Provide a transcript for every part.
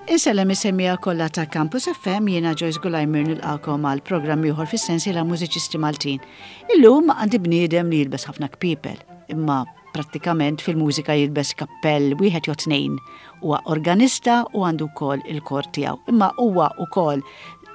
Insellem is-semmiegħa kollha ta' Campus FM, jiena Joyce Gulajmir nilqakom għal programm ieħor fis-sensiela Mużiċisti Maltin. Illum għandi bniedem li jilbes ħafna kpiepel, imma prattikament fil-mużika jilbes kappell wieħed jew tnejn. Huwa organista u għandu wkoll il-kor tiegħu. Imma huwa wkoll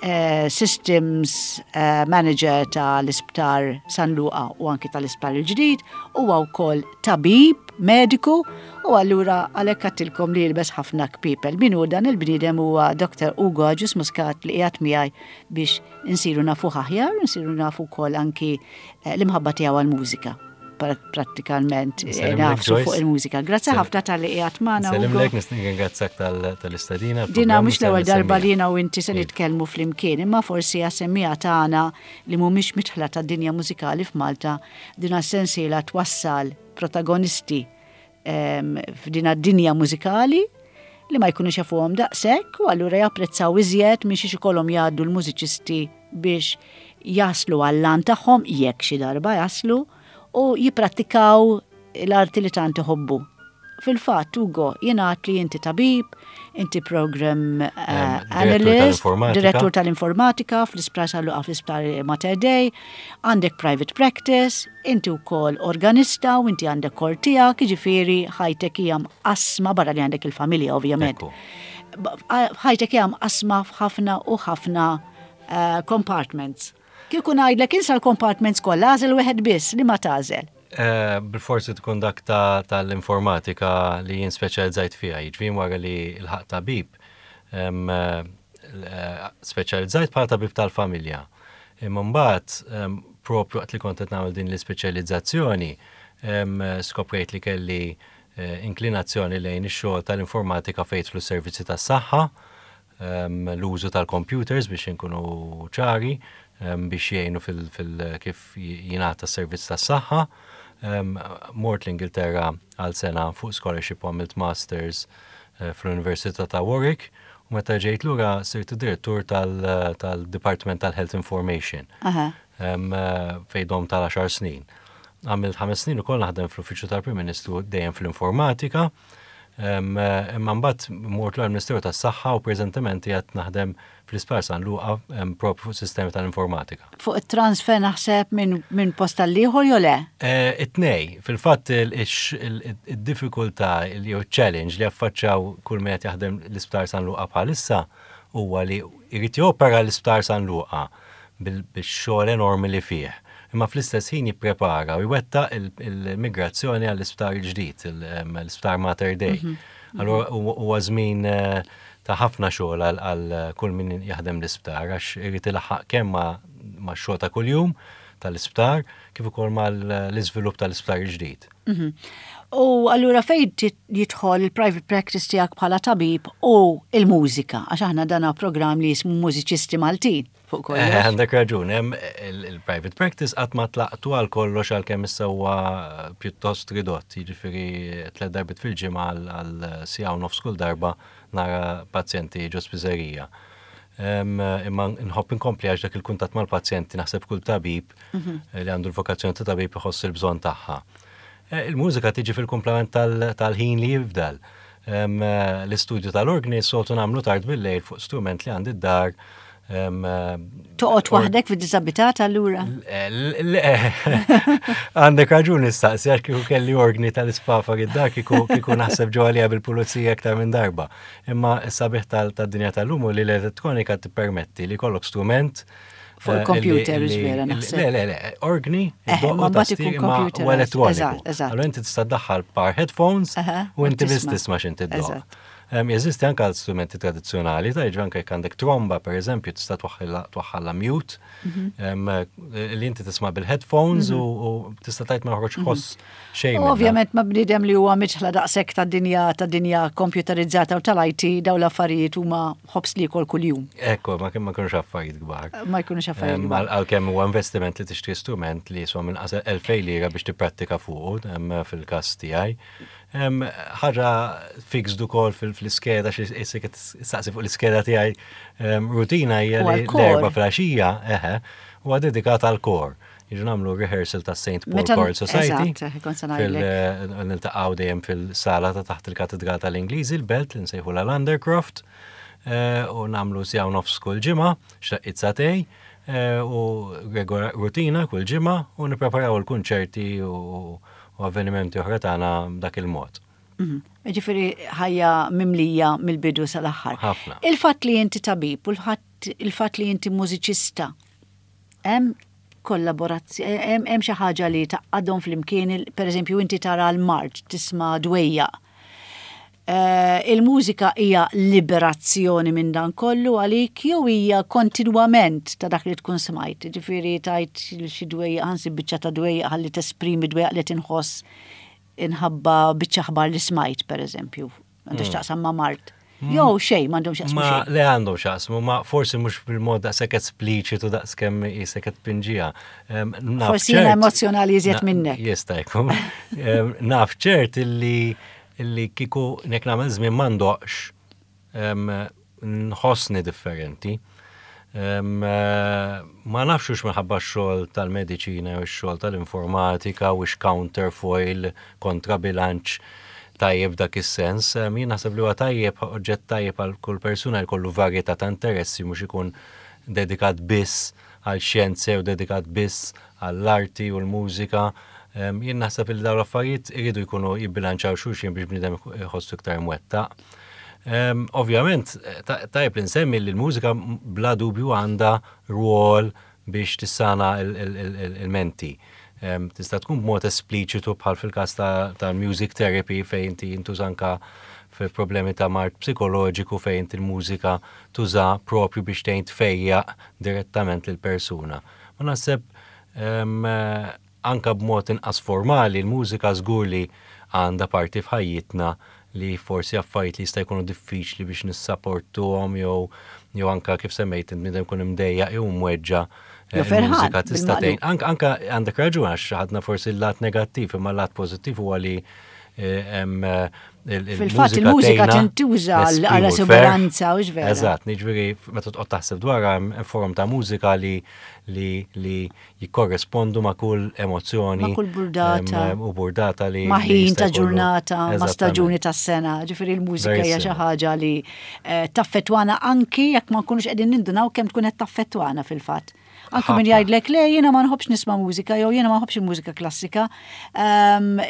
eh, systems eh, manager tal-Isptar San Luqa u anki tal-Isptar il-ġdid, huwa wkoll tabib mediku u allura għalhekk għattilkom li jilbes ħafna kpiepel. Min hu dan il-bniedem huwa Dr. Ugo Agius Muscat li qiegħed miegħi biex insiru nafuh aħjar, insiru nafu wkoll anki eh, l-imħabba tiegħu għall-mużika prattikalment eh, nafsu fuq il-mużika. Grazzi ħafna tal-li qiegħed magħna. Sellimlek, nirringrazzjak tal-istedina. Dina mhux l-ewwel darba li jiena u inti se iva. nitkellmu flimkien, imma forsi għas-semmiegħa tagħna li mhumiex midħla tad-dinja mużikali f'Malta, dina s-sensiela twassal protagonisti f'din dinja mużikali li ma jkunux jafuhom daqshekk u allura japprezzaw iżjed minn xiex ikollhom jgħaddu l-mużiċisti biex jaslu għall-għan tagħhom jekk xi darba jaslu u jipprattikaw l-arti li tant iħobbu. Fil-fatt, Ugo, jingħad li inti tabib, inti program eh, analyst, direttur tal-informatika fl-isptar San Luqa fl-isptar Mater Dei, għandek private practice, inti wkoll organista u inti għandek kor tiegħek, jiġifieri ħajtek hija mqassma barra li għandek il-familja ovvjament. Ħajtek hija mqassma f'ħafna u ħafna eh, compartments. Kieku ngħidlek insa l-compartments kollha, għażel wieħed biss li ma tagħżel. Eh, bil-forsi tkun dak tal-informatika li jien speċjalizzajt fiha, jiġifieri wara li l-ħaq tabib, eh, eh, speċjalizzajt bħala tabib tal-familja. Imma mbagħad propju waqt li kont qed nagħmel din l-ispeċjalizzazzjoni, skoprejt li kelli inklinazzjoni lejn ix-xogħol tal-informatika fejn jidħlu s-servizzi tas-saħħa, l-użu tal-computers biex inkunu ċari, biex jgħinu fil-kif jingħata s-servizz tas-saħħa. Mort l-Ingilterra għal sena fuq scholarship u għamilt masters eh, fl-Università ta' Warwick u meta ġejt lura sirt direttur tal-Department tal-Health Information eh, fejn dom tal-10 snin. Għamilt ħames snin ukoll naħdem fl-Uffiċċju tal-Prim Ministru dejjem fl-informatika. Imma mbagħad mort lura l-Ministeru tas-Saħħa u preżentement qiegħed naħdem fl-Isptar San Luqa propju fuq sistemi tal-informatika. Fuq it-transfer naħseb minn post għall-ieħor jew le? Eh, it-tnej, fil-fatt id-diffikultà jew challenge li affaċċjaw kull min qed jaħdem l-Isptar San Luqa bħalissa huwa li jrid jopera l-Isptar San Luqa bil-xogħol enormi li fih, imma fl-istess ħin jipprepara u jwettaq il-migrazzjoni għall-isptar il-ġdid, l-isptar Mater Dei. Mhm. Allura huwa żmien eh, ta' ħafna xogħol għal kull min jaħdem l-isptar għax irid ilaħħaq kemm ma' xogħol ta' kuljum tal-isptar kif ukoll mal-iżvilupp tal-isptar il-ġdid. Mhm. U allura fejn jidħol il-private practice tiegħek bħala tabib u il-mużika, għax aħna dana programm li jismu Mużiċisti Maltin fuq kollox. Eh, għandek raġun, hemm il-private practice qatt ma tlaqtu għal kollox għalkemm issa huwa pjuttost ridott, jiġifieri tliet darbiet fil-ġimgħa għal siegħa u nofs kull darba nara pazjenti ġo spiżerija. Imma nħobb inkompli għax dak il-kuntatt mal-pazjenti naħseb kull tabib mhm. li għandu l-vokazzjoni ta' tabib iħoss il-bżonn tagħha. Eh, il-mużika tiġi fil-komplement tal-ħin li jifdal. Eh, l-istudju tal-organi soltu nagħmlu tard bil-lejl fuq strument li għandi d-dar. Eh, Toqgħod waħdek fid-disabilità allura? Għandek raġun nistaqsi għax kieku kelli organi tal-isfafa id-dar kieku naħseb ġo għalija bil-pulizija aktar minn darba. Imma s-sabiħ tad-dinja tal-lum li l-elettronika tippermetti li kollok strument Fuq il-computer, vera naħseb. Le, le, le, organi, eh, ma mbagħad ikun computer. U elettroniku. Allora inti tista' ddaħħal par headphones u inti biss tisma' x'inti ddoqq. Jeżisti anke għal strumenti tradizzjonali, ta' jiġri anke jekk għandek tromba pereżempju tista' twaħħalha mute, mhm. li inti tisma' bil-headphones mhm. u tista' tgħid ma joħroġ mhm. ħoss xejn. Ovvjament ma bniedem li huwa miċħla daqshekk ta' dinja ta' dinja kompjuterizzata u tal-IT dawn l-affarijiet huma ħobs li jkol kuljum. Ekku, ma kemm ma jkunux affarijiet kbar. Ma jkunux affarijiet kbar. Għalkemm huwa investiment li tixtri strument li jiswa minn qasel 2000 lira biex tipprattika fuqu fil-każ tiegħi. Ħaġa fixed ukoll fil-iskeda xi saqsi fuq l-iskeda tiegħi rutina hija li l-erba' flaxija, eħe, huwa dedikat għal kor. Jiġu nagħmlu rehearsal ta' St. Paul Choral Society. Niltaqgħu dejjem fil-sala ta' taħt il-Katedral tal-Ingliżi, l-Belt li nsejħu l-Undercroft. u nagħmlu siegħa u nofs kull ġimgħa, x'daqqiet sagħtejn, u rutina kull ġimgħa u nippreparaw il-kunċerti u avvenimenti oħra tagħna b'dak il-mod. Mhm. Ġifieri ħajja mimlija mill-bidu sal-aħħar. Ħafna. Il-fatt li inti tabib u il-fatt li inti mużiċista, hemm kollaborazzjoni, hemm xi ħaġa li tgħaqqadhom flimkien, pereżempju inti tara l-mard, tisma' dwejjaq. Il-mużika hija liberazzjoni minn dan kollu għalik jew hija kontinwament ta' dak li tkun smajt, ġifieri tajt xi dwejjaq, ħa nsib biċċa ta' dwejjaq ħalli tesprimi dwejjaq li tinħoss inħabba biċċa aħbar li smajt, pereżempju, għandu x'taqsam ma' mard. Jew xejn, m'għandhom x'jaqsmu Ma xejn. le għandhom x'jaqsmu, ma forsi mhux bil-mod daqshekk espliċitu daqskemm qisek qed tpinġiha. Naf Forsi jiena ċert emozzjonali iżjed minnek. Jista' jkun. Naf ċert illi illi kieku nek nagħmel żmien ma ndoqqx nħossni differenti. Ma nafx hux minħabba x-xogħol tal-mediċina jew ix-xogħol tal-informatika u counterfoil kontra bilanċ tajjeb dak is-sens. Jien naħseb li huwa tajjeb, oġġett tajjeb għal kull persuna li jkollu varjetà ta' interessi mhux ikun dedikat biss għal xjenza jew dedikat biss għall-arti u l-mużika. Jien naħseb li dawn l-affarijiet iridu jkunu jibbilanċaw xulxin biex bniedem iħossu iktar mwettaq. Ovvjament, tajjeb li nsemmi li l-mużika bla dubju għandha rwol biex tissana il-menti. Tista' tkun b'mod espliċitu bħal fil-każ ta' music therapy fejn inti jintuża anka fi problemi ta' mard psikoloġiku fejn inti l-mużika tuża propju biex tgħin tfejjaq direttament lil persuna. Ma naħseb anka b'mod inqas formali l-mużika żgur li għandha parti f'ħajjitna li forsi affarijiet li jista' jkunu diffiċli biex nissaportuhom jew anka kif semmejt int bniedem ikun imdejjaq jew mweġġa' Jew ferħan, il-mużika tista' bil-maqlub. tgħin. Anka għandek raġun għax ħadna forsi l-lat negattiv imma l-lat pożittiv huwa li hemm Fil-fatt il-mużika tintuża nesprimu għal l-ferħ. esuberanza, hux vera? Eżatt, jiġifieri meta toqgħod taħseb dwarha hemm forom ta' mużika li li li jikkorrespondu ma' kull emozzjoni. Ma' kull burdata. U burdata li Ma' li ħin jista' ta' jkollu. ġurnata, ma' Eżattament. staġuni tas-sena. Ġifieri l-mużika Very hija xi similar. ħaġa li taffettwana anki jekk ma nkunux qegħdin nindunaw kemm tkun qed taffettwana fil-fatt. Anki min Ħafna. jgħidlek le jiena ma nħobbx nisma' mużika jew jiena ma nħobbx il-mużika klassika,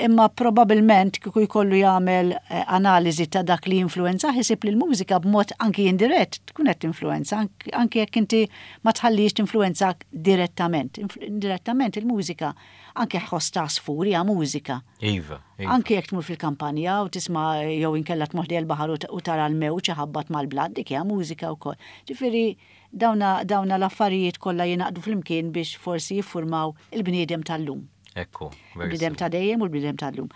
imma probabbilment kieku jkollu jagħmel analiżi ta' dak li jinfluwenza isib li l-mużika b'mod anki indirett tkun qed tinfluwenza anki jekk inti ma tħallix tinfluwenzak direttament. Indirettament il-mużika anke ħoss ta' għasfur hija mużika. Iva, iva. Anki jekk tmur fil-kampanja u tisma' jew inkella tmur ħdejn il-baħar u tara l-mewġ iħabbat mal-blat, dik hija mużika wkoll. Ġifieri dawna, dawna l-affarijiet kollha jingħaqdu flimkien biex forsi jiffurmaw il-bniedem tal-lum. Ekku, very Il-bniedem simple. ta' dejjem u l-bniedem tal-lum.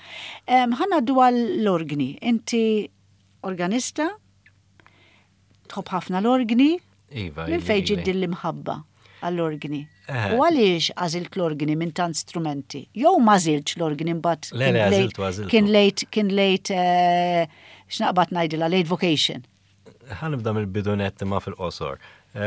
Ħa ngħaddu għall-organi. Inti organista, tħobb ħafna l-organi. Iva, Minn ili, fejn ġiet ili. din l-imħabba għall-organi? U għaliex għażilt l-organi minn tant strumenti? Jew ma għażiltx l-organi mbagħad Le, le, kien late, għażiltu, għażiltu. kien late, kien late, x'naqbad ngħidilha, late vocation. Ħa nibda mill-bidu nett imma fil-qosor.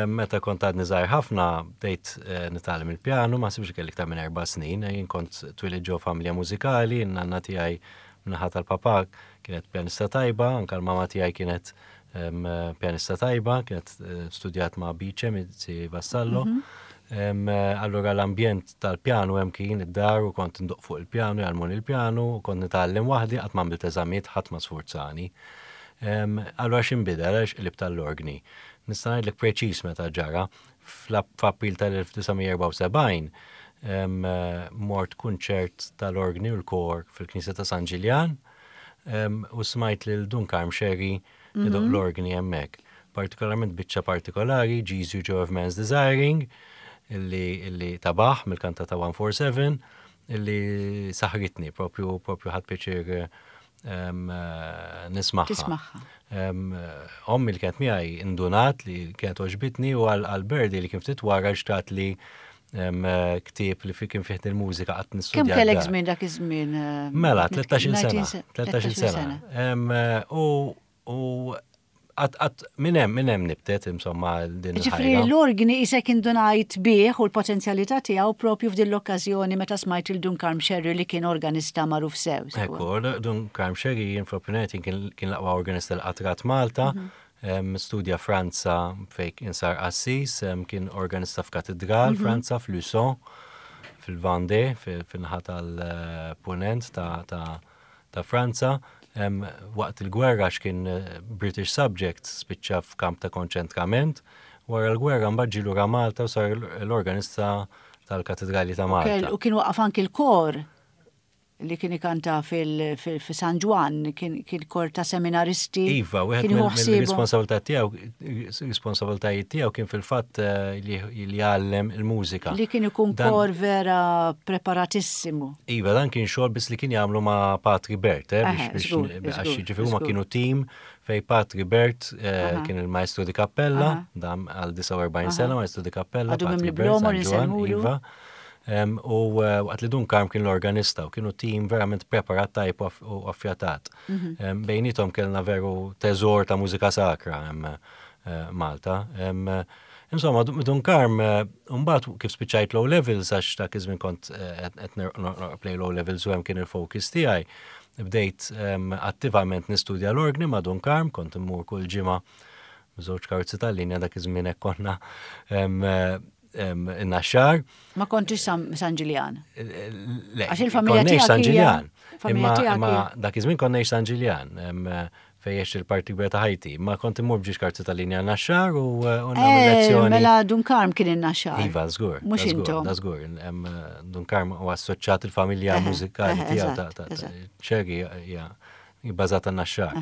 Meta kont għadni żgħir ħafna, bdejt nitgħallem il-pjanu, ma nsibx kelli iktar minn 4 snin, jien kont twilidt ġo familja mużikali, n-nanna tiegħi min-naħa tal-papà kienet pjanista tajba, anka l-mama tiegħi kienet pjanista tajba, kienet studjat ma' Bice, Mizzi Vassallo. Allura l-ambjent tal-pjanu hemm kien id-dar u kont ndoqq fuq il-pjanu, jgħallmuni il-pjanu, u kont nitgħallem waħdi, qatt ma għamilt eżamijiet, ħadd ma sfurzani. Allura x'inbidel għaliex qlibt tal-organi. Nista' ngħidlek preċiż meta ġara, f'April tal-1974 mort kunċert tal-organi u l-kor fil-Knisja ta' San Ġiljan, u smajt lil Dun Karm Scerri idoqq l-organi hemmhekk. Partikolarment biċċa partikolari, Jesu Joy of Man's Desiring, illi ta' Bach mill-kantata 147, illi saħritni, propju ħadt pjaċir nismagħha. Tismagħha. Ommi li kienet miegħi indunat li kienet għoġbitni u għal-birthday li kien ftit wara xtrat li ktieb li fi kien fih il-mużika qatt nistudja. Kemm kellek d-dar. żmien dak iż-żmien? Mela, 13-il sena. 13-il 13-il sena. sena. U għat minn hemm, minn hemm nibtet, insomma, din Ġifieri il-ħajra. l-organi isek indunajt bih u l-potenzjalità tiegħu propju f'din l-okkażjoni meta smajt il Dun Karm Scerri li kien organista magħruf sew. Ekku, Dun Karm Scerri jien fl-opinjoni tiegħi kien l-aqwa organista li qatt rat Malta. Studja Franza fejn kien sar qassis, kien organista f'katedral Franza f'Luçon, fil-Vendée, fin-naħa tal-punent ta' Franza. Waqt il-gwerra għax kien British subject spiċċa f'kamp ta' konċentrament. Wara l-gwerra mbagħad ġie lura Malta u sar l-organista tal-Katedrali ta' Malta. U kien waqqaf anki l-kor li kien ikanta fi San Ġwann, kien kor ta' seminaristi. Iva, wieħed mill-responsabilità tiegħu, responsabilitajiet tiegħu kien fil-fatt eh, li jgħallem il-mużika. Li kien ikun kor vera preparatissimu. Iva, dan kien xogħol biss li kien jagħmlu ma' Patri Bert, eh, biex għax jiġifieri huma kienu tim fej Patri Bert eh, kien il-maestro di cappella, dam għal 49 sena maestro di cappella. Għadu mimli San Ġwann, Iva. U waqt li Dun Karm kien l-organista u kienu tim verament preparat tajb u affjatat. Mhm. Bejnietom kellna veru teżor ta' mużika sakra eh, Malta. Insomma, Dun Karm, eh, mbagħad kif spiċċajt low levels għax dak iż-żmien kont eh, qed play low levels u hemm kien il-focus tiegħi. Bdejt attivament nistudja l-orgni ma' Dun Karm, kont immur kull ġimgħa żewġ karozzi tal-linja dak iż-żmien hekk konna in-Naxxar. Ma kontix San Ġiljan. Le, Għax il-familja tiegħek San Ġiljan. Imma dak iż-żmien kont ngħix San Ġiljan fejn għext il-parti kbira ta' ħajti. Ma kont immur b'ġiex karti tal-linja Naxxar u nagħmel eh, lezzjoni. Mela Dun Karm kien in-Naxxar. Iva, żgur. Mhux intom. Da żgur. Dun Karm u assoċjat il-familja mużikali tiegħu ta' ċergi hija bbażata Naxxar.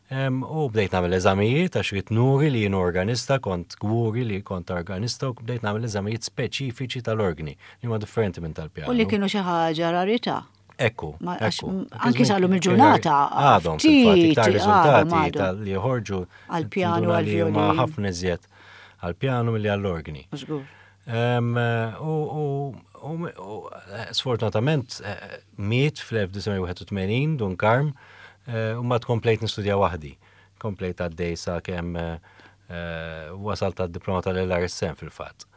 U bdejt nagħmel eżamijiet għax ridt nuri li jien organista, kont kburi li kont organista u bdejt nagħmel eżamijiet speċifiċi tal-orgni li huma differenti minn tal-pjanu. U li kienu xi ħaġa rarità. Ekku, ekku. Anki sal-lum il-ġurnata. Għadhom, fil-fatt, iktar riżultati tal-li joħorġu għal-pjanu għal-violin. ħafna iżjed għal-pjanu milli għall-orgni. Żgur. U sfortunatament eh, miet fl-1981 Dun Karm eh, u ma tkomplejt nistudja waħdi. Komplejt għaddej sa kemm eh, wasalt għad-diploma tal-LRSM fil-fatt.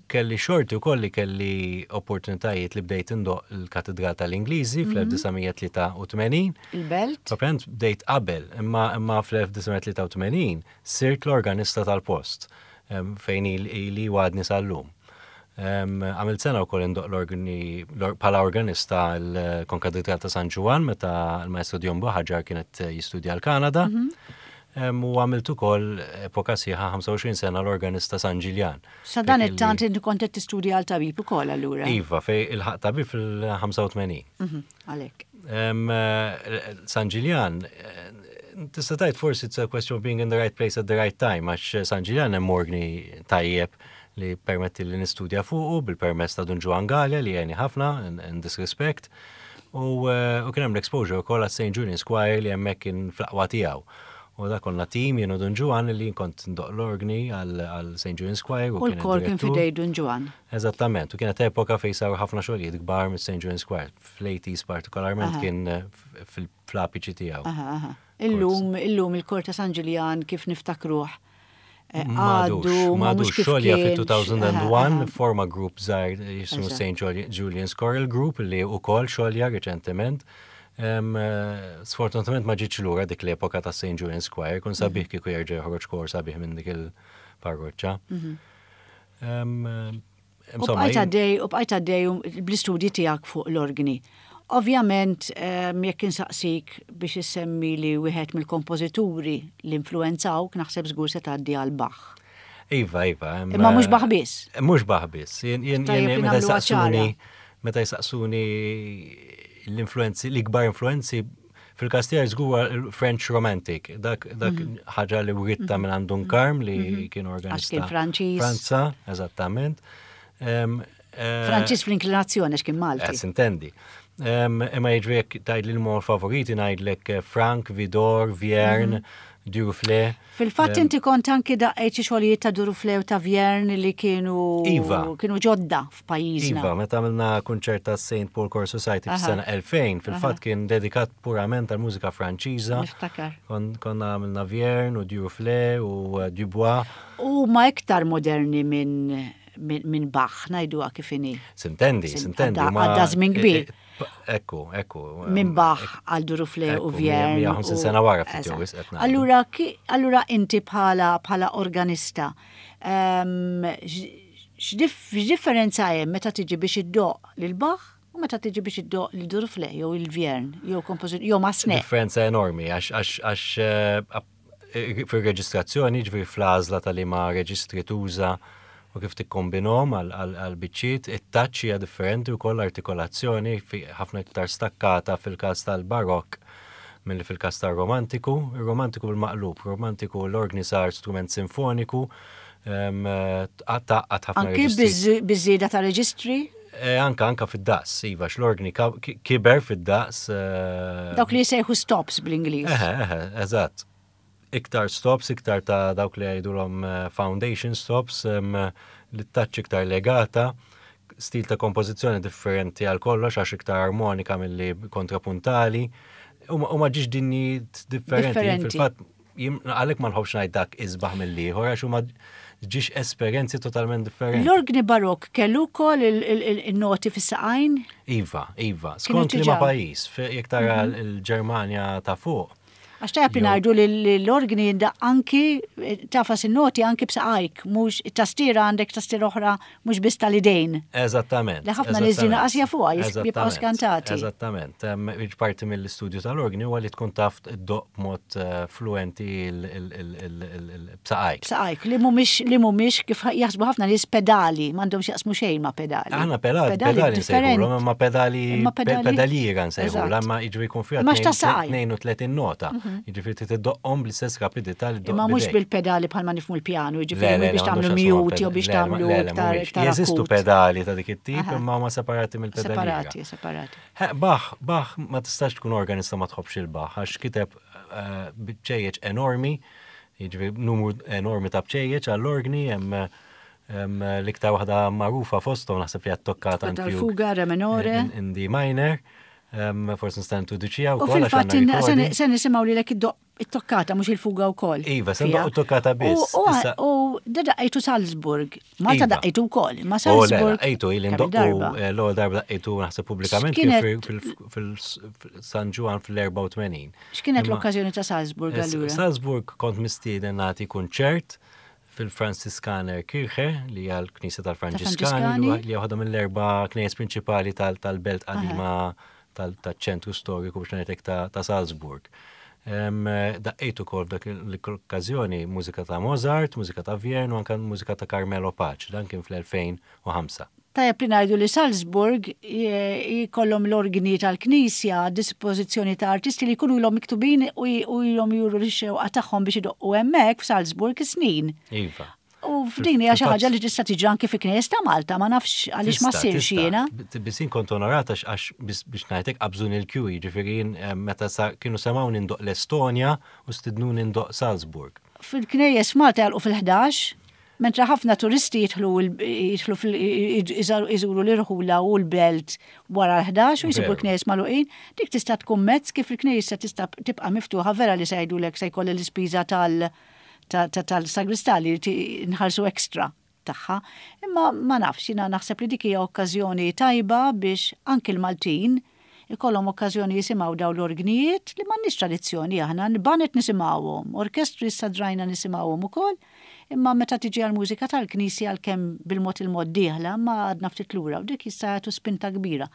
Kelli xorti wkoll li kelli opportunitajiet li bdejt indoqq il-Katidral tal-Ingliżi fl-1983. Il-Belt? Proprjament bdejt qabel, imma imma fl-1983 sirt l-organista tal-post fejn ili u għadni sal-lum. Għamilt sena wkoll indoqq l-organi bħala organista l-Konkatedral ta' San Ġwann meta l-Maestro Dion Buhagiar kien qed jistudja l-Kanada. U għamilt ukoll epoka sħiħa 25 sena l-organista San Ġiljan. Sa dan it-tant inti kont qed tistudja għal tabib ukoll allura? Iva, fej ilħaq tabib fil-85. Mhm, għalhekk. San Ġiljan, tista' tgħid forsi it's a question of being in the right place at the right time, għax San Ġiljan hemm orgni tajjeb li permetti li nistudja fuqu bil-permess ta' Dun Ġwann Galea li għeni ħafna in this respect. U eh, kien hemm l-exposure wkoll għas St. Julian's Choir li hemmhekk kien fl-aqwa tiegħu. U da konna tim jien u Dun Ġwann li kont ndoqq l-orgni għal St. Julian's Choir. U l-kor kien fidej Dun Ġwann. Eżattament, u kienet epoka fejn saru ħafna xogħlijiet kbar mis-St. Julian's Choir. Fl-80s partikolarment kien eh, fl-apiċi tiegħu. Illum, illum il-kor ta' San Ġiljan kif niftakruh eh, għadu m'għadux xogħol fi 2001 forma grupp żgħir jismu St. Julian's Choral Group li wkoll xogħolja riċentement. Eh, sfortunatament ma ġietx lura dik l-epoka ta' St. Julian's Choir, kun sabiħ mhm. kieku jerġa' joħroġ kor sabiħ minn dik il-parroċċa. Mhm. U bqajt għaddej, u bqajt għaddej bl-istudji tiegħek fuq l-organi. Ovvjament, jekk insaqsik biex issemmi li wieħed mill-kompożituri li influenzawk, naħseb żgur se tgħaddi għal Bach. Iva, iva. Imma mhux Bach biss. Mhux Bach biss. Jien meta jsaqsuni, meta jsaqsuni l-influenzi, l-ikbar influenzi Fil-każ tiegħi żgur il-French Romantic, dak dak mhm. ħaġa li writta mhm. minn għand Dun Karm li mhm. kien organista. Għax kien Franċiż. Franza, eżattament. Eh, Franċiż fl-inklinazzjoni għax kien Malti. Eh, Sintendi. Imma jiġri jekk tgħid li l-mor favoriti ngħidlek eh, Frank, Vidor, Vierne, Duruflé. Fil-fatt inti kont anki daqqejt xi xogħlijiet ta' Duruflé u ta' Vierne li kienu iva. kienu ġodda f'pajjiżna. Iva, meta għamilna kunċert ta' St. Paul Choir Society fis-sena 2000, fil-fatt kien dedikat purament għal mużika Franċiża. Niftakar. Konna għamilna Vierne u Duruflé u eh, Dubois. U ma iktar moderni minn minn Bach, ngħiduha kif inhi. Sintendi, sintendi. Għadda żmien kbir. Ekku, ekku. Minn Bach għal Durufle u Vjern. 150 sena wara ftit jew wisq. Allura, allura inti bħala bħala organista, x'differenza hemm meta tiġi biex iddoq lil Bach u meta tiġi biex iddoq lil Durufle jew il-Vjern jew kompożitur jew Masne? Differenza enormi għax eh, fir-reġistrazzjoni, ġifieri fl-għażla ta' liema reġistri tuża u kif tikkombinhom għal biċċiet, it-touch hija differenti wkoll l-artikolazzjoni ħafna iktar stakkata fil-każ tal-Barokk milli fil-każ tar-Romantiku. Ir-Romantiku bil-maqlub, romantiku l-orgni sar strument sinfoniku, tgħaqqad ħafna Anki reġistri. biż-żieda ta' reġistri? Eh, anka anka fid-daqs, iva, x'l-orgni kiber fid-daqs. Eh, dawk li jsejħu stops bl-Ingliż. Eħe, eħe, eżatt. Iktar stops, iktar ta' dawk li jgħidulhom eh, foundation stops, li touch iktar legata, stil ta' kompożizzjoni differenti għal kollox għax iktar armonika milli kontrapuntali. U ma ġiġ dinji differenti. Fil-fatt, Għalhekk ma nħobbx ngħid dak isbaħ mill-ieħor għax huma ġiex esperjenzi totalment differenti. L-orgni barokk kellu wkoll il-noti fis-saqajn? Iva, iva. Skont liema pajjiż, jekk tara mhm. l-Ġermanja ta' fuq. Għax tajab li ngħidu li l-orgni jindaq anki eh, tafas in-noti anki b'saqajk, mhux it-tastiera għandek tastiera oħra mhux biss tal-idejn. Eżattament. Li ħafna nies din qas jafuha, jibqgħu skantati. Eżattament. Parti mill-istudju tal-orgni huwa li tkun taf iddoqq b'mod eh, fluenti b'saqajk. B'saqajk, li mhumiex li mhumiex kif jaħsbu ħafna nies pedali, m'għandhomx jaqsmu xejn ma' pedali. Aħna pedali, pedali nsejħulhom, imma pedali pedaliera nsejħulha, imma jiġri jkun fiha 32 nota. Mhm. Jiġifieri trid iddoqqhom bl-istess rapidità li Imma mhux bil-pedali bħalma nifhmu l-pjanu, jiġifieri biex tagħmlu mute jew biex tagħmlu iktar iktar. Jeżistu pedali ta' dik it-tip imma huma separati mill-pedali. Separati, separati. Bach, Bach ma tistax tkun organista ma tħobbx il-Bach għax kiteb eh, bċejjeċ enormi, jiġifieri numru enormi ta' bċejjeċ għall-orgni hemm l-iktar waħda magħrufa fosthom naħseb li għat-toccata Fuga, re minore. In D minor. Forsi nista' introduċiha wkoll. U fil-fatt se nisimgħu lilek it-toccata mhux il-fuga wkoll. Iva, se ndoqqu it-toccata biss. U da daqqejtu Salzburg. Malta daqqejtu wkoll, ma oh, Salzburg. Daqqejtu ili ndoqqu eh, l-ewwel darba daqqejtu naħseb pubblikament fil-San Ġwan fil-84. X'kienet l-okkażjoni ta' Salzburg eh, allura? Salzburg kont mistieden nagħti kunċert fil-Franziskaner Kirche, li hija l-Knisja tal-Franġiskani, li hija waħda mill-erba' knejjes prinċipali tal-belt qadima tal-ċentru storiku biex ngħidlek ta' Salzburg. Daqqejt ukoll f'dak l-okkażjoni mużika ta' Mozart, mużika ta' Vierne u anke mużika ta' Carmelo Pace, dan kien fl-2005. Tajjeb li ngħidu li Salzburg jkollhom l-orgni tal-knisja għad-dispożizzjoni ta' artisti li jkunu ilhom miktubin u ilhom juru x-xewqa tagħhom biex idoqqu hemmhekk f'Salzburg is-snin. Iva. U f'din hija xi ħaġa li tista' tiġi anki fi knejjes ta' Malta, ma nafx għaliex ma ssirx jiena. Biss jien kont onorata għax biex ngħidlek qabżuni l-kju, jiġifieri jien eh, meta kienu semgħuni ndoqq l-Estonja u stidnuni ndoqq Salzburg. Fil-knejjes Malta jagħlqu fil-11, Mentre ħafna turisti jidħlu jidħlu iżuru l-irħula u l-belt wara l-11 u jsibu l-knejjes magħluqin, dik tista' tkun mezz kif il-knejjes se tista' tibqa' miftuħa vera li se jgħidulek se jkolli l-ispiża tal tal-sagristà li nħallsu extra tagħha. Imma ma nafx, jiena naħseb li dik hija okkażjoni tajba biex anki l-Maltin ikollhom okkażjoni jisimgħu dawn l-orgnijiet li m'għandniex tradizzjoni aħna, baned nisimgħuhom, orkestri issa drajna nisimgħuhom ukoll, imma meta tiġi għall-mużika tal-knisja għalkemm bil-mod il-mod dieħla imma għadna ftit lura u dik jista' jagħtu spinta kbira.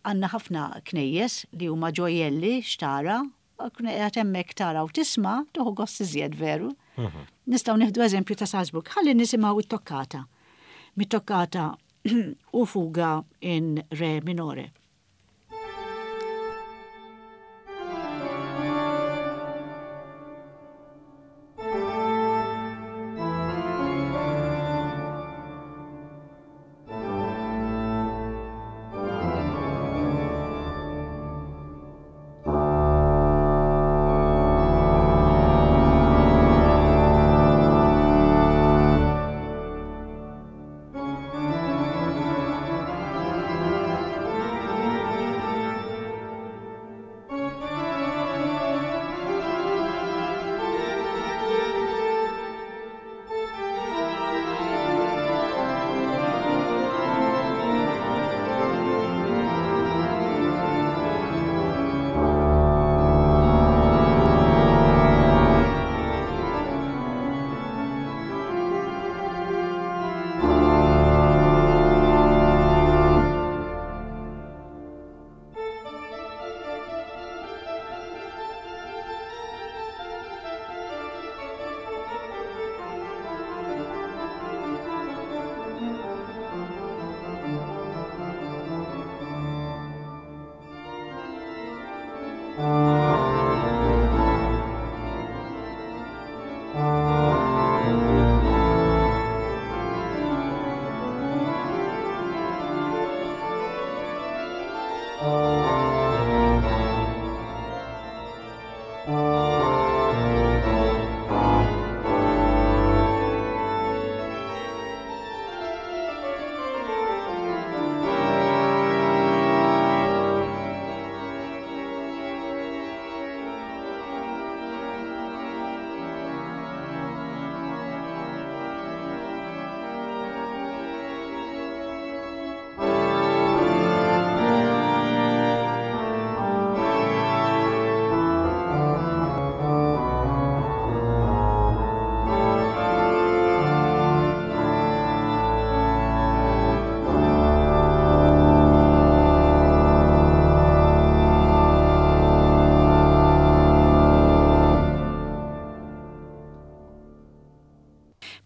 Għandna ħafna knejjes li huma ġojjelli x'tara, tkun qiegħed hemmhekk tara u tisma' tieħu gost iżjed veru. Mhm. Nistgħu nieħdu eżempju ta' Salzburg. Ħalli nisimgħu it-toccata. Mit-toccata u fuga in re minore.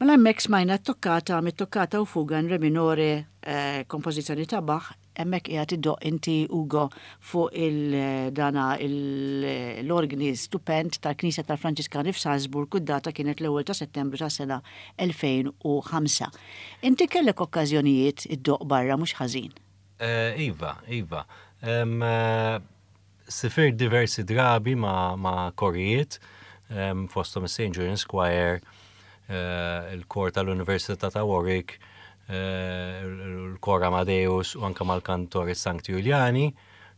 Mela hemmhekk smajna t-toccata mit-toccata u fuga in re minore eh, kompożizzjoni ta' Bach, hemmhekk qiegħed iddoqq inti Ugo fuq il-dana l-orgni stupend tal-Knisja tal-Franġiskani f'Salzburg u d-data kienet l-ewwel ta' Settembru tas-sena 2005. Inti kellek okkażjonijiet iddoqq barra mhux ħażin. Eh, iva, iva. Eh, Sifirt diversi drabi ma' korijiet, fosthom is-St. Julian's Choir, il-kor tal-Università ta' Warwick, il-kor Amadeus u anke mal-Cantores Sancti Juliani,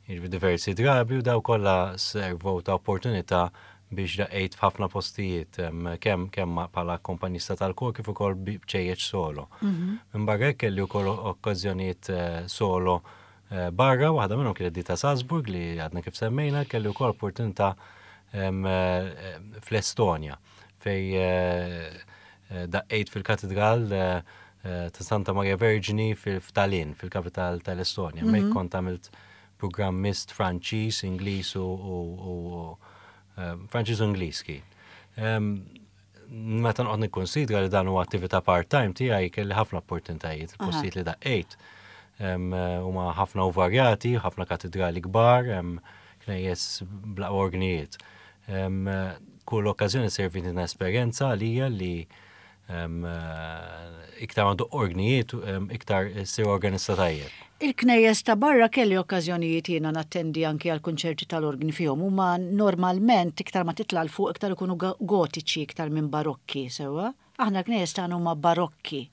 jiġifieri diversi drabi u dawn kollha servew ta' opportunità biex daqqejt f'ħafna postijiet, kemm kemm bħala akkompanjista tal-kor kif ukoll b'ċejjeċ solo. Minbarra hekk kelli wkoll okkażjonijiet solo Barra, waħda minnhom kienet di ta' Salzburg li għadna kif semmejna, kelli wkoll opportunità fl-Estonja fej daqqejt fil-katedral ta' Santa Maria Verġni f'Tallinn, fil-kapital tal-Estonja. Hemmhekk kont għamilt programm mist Franċiż, Ingliż u Franċiż u Ingliż kien. Meta noqgħod nikkunsidra li dan huwa attività part-time tiegħi kelli ħafna opportunitajiet, il-postijiet li daqqejt huma ħafna u varjati, ħafna katedrali kbar, knejjes bla orgnijiet. Kull okkażjoni servitni ta' esperjenza għalija li iktar ma doqq orgnijiet, iktar issir organista tajjeb. Il-knejjes ta' barra kelli okkażjonijiet jiena nattendi anki għal kunċerti tal-orgni fihom. Huma normalment iktar ma titla' 'l fuq iktar ikunu gotiċi iktar minn barokki, sewwa? Aħna l-knejjes tagħna huma barokki.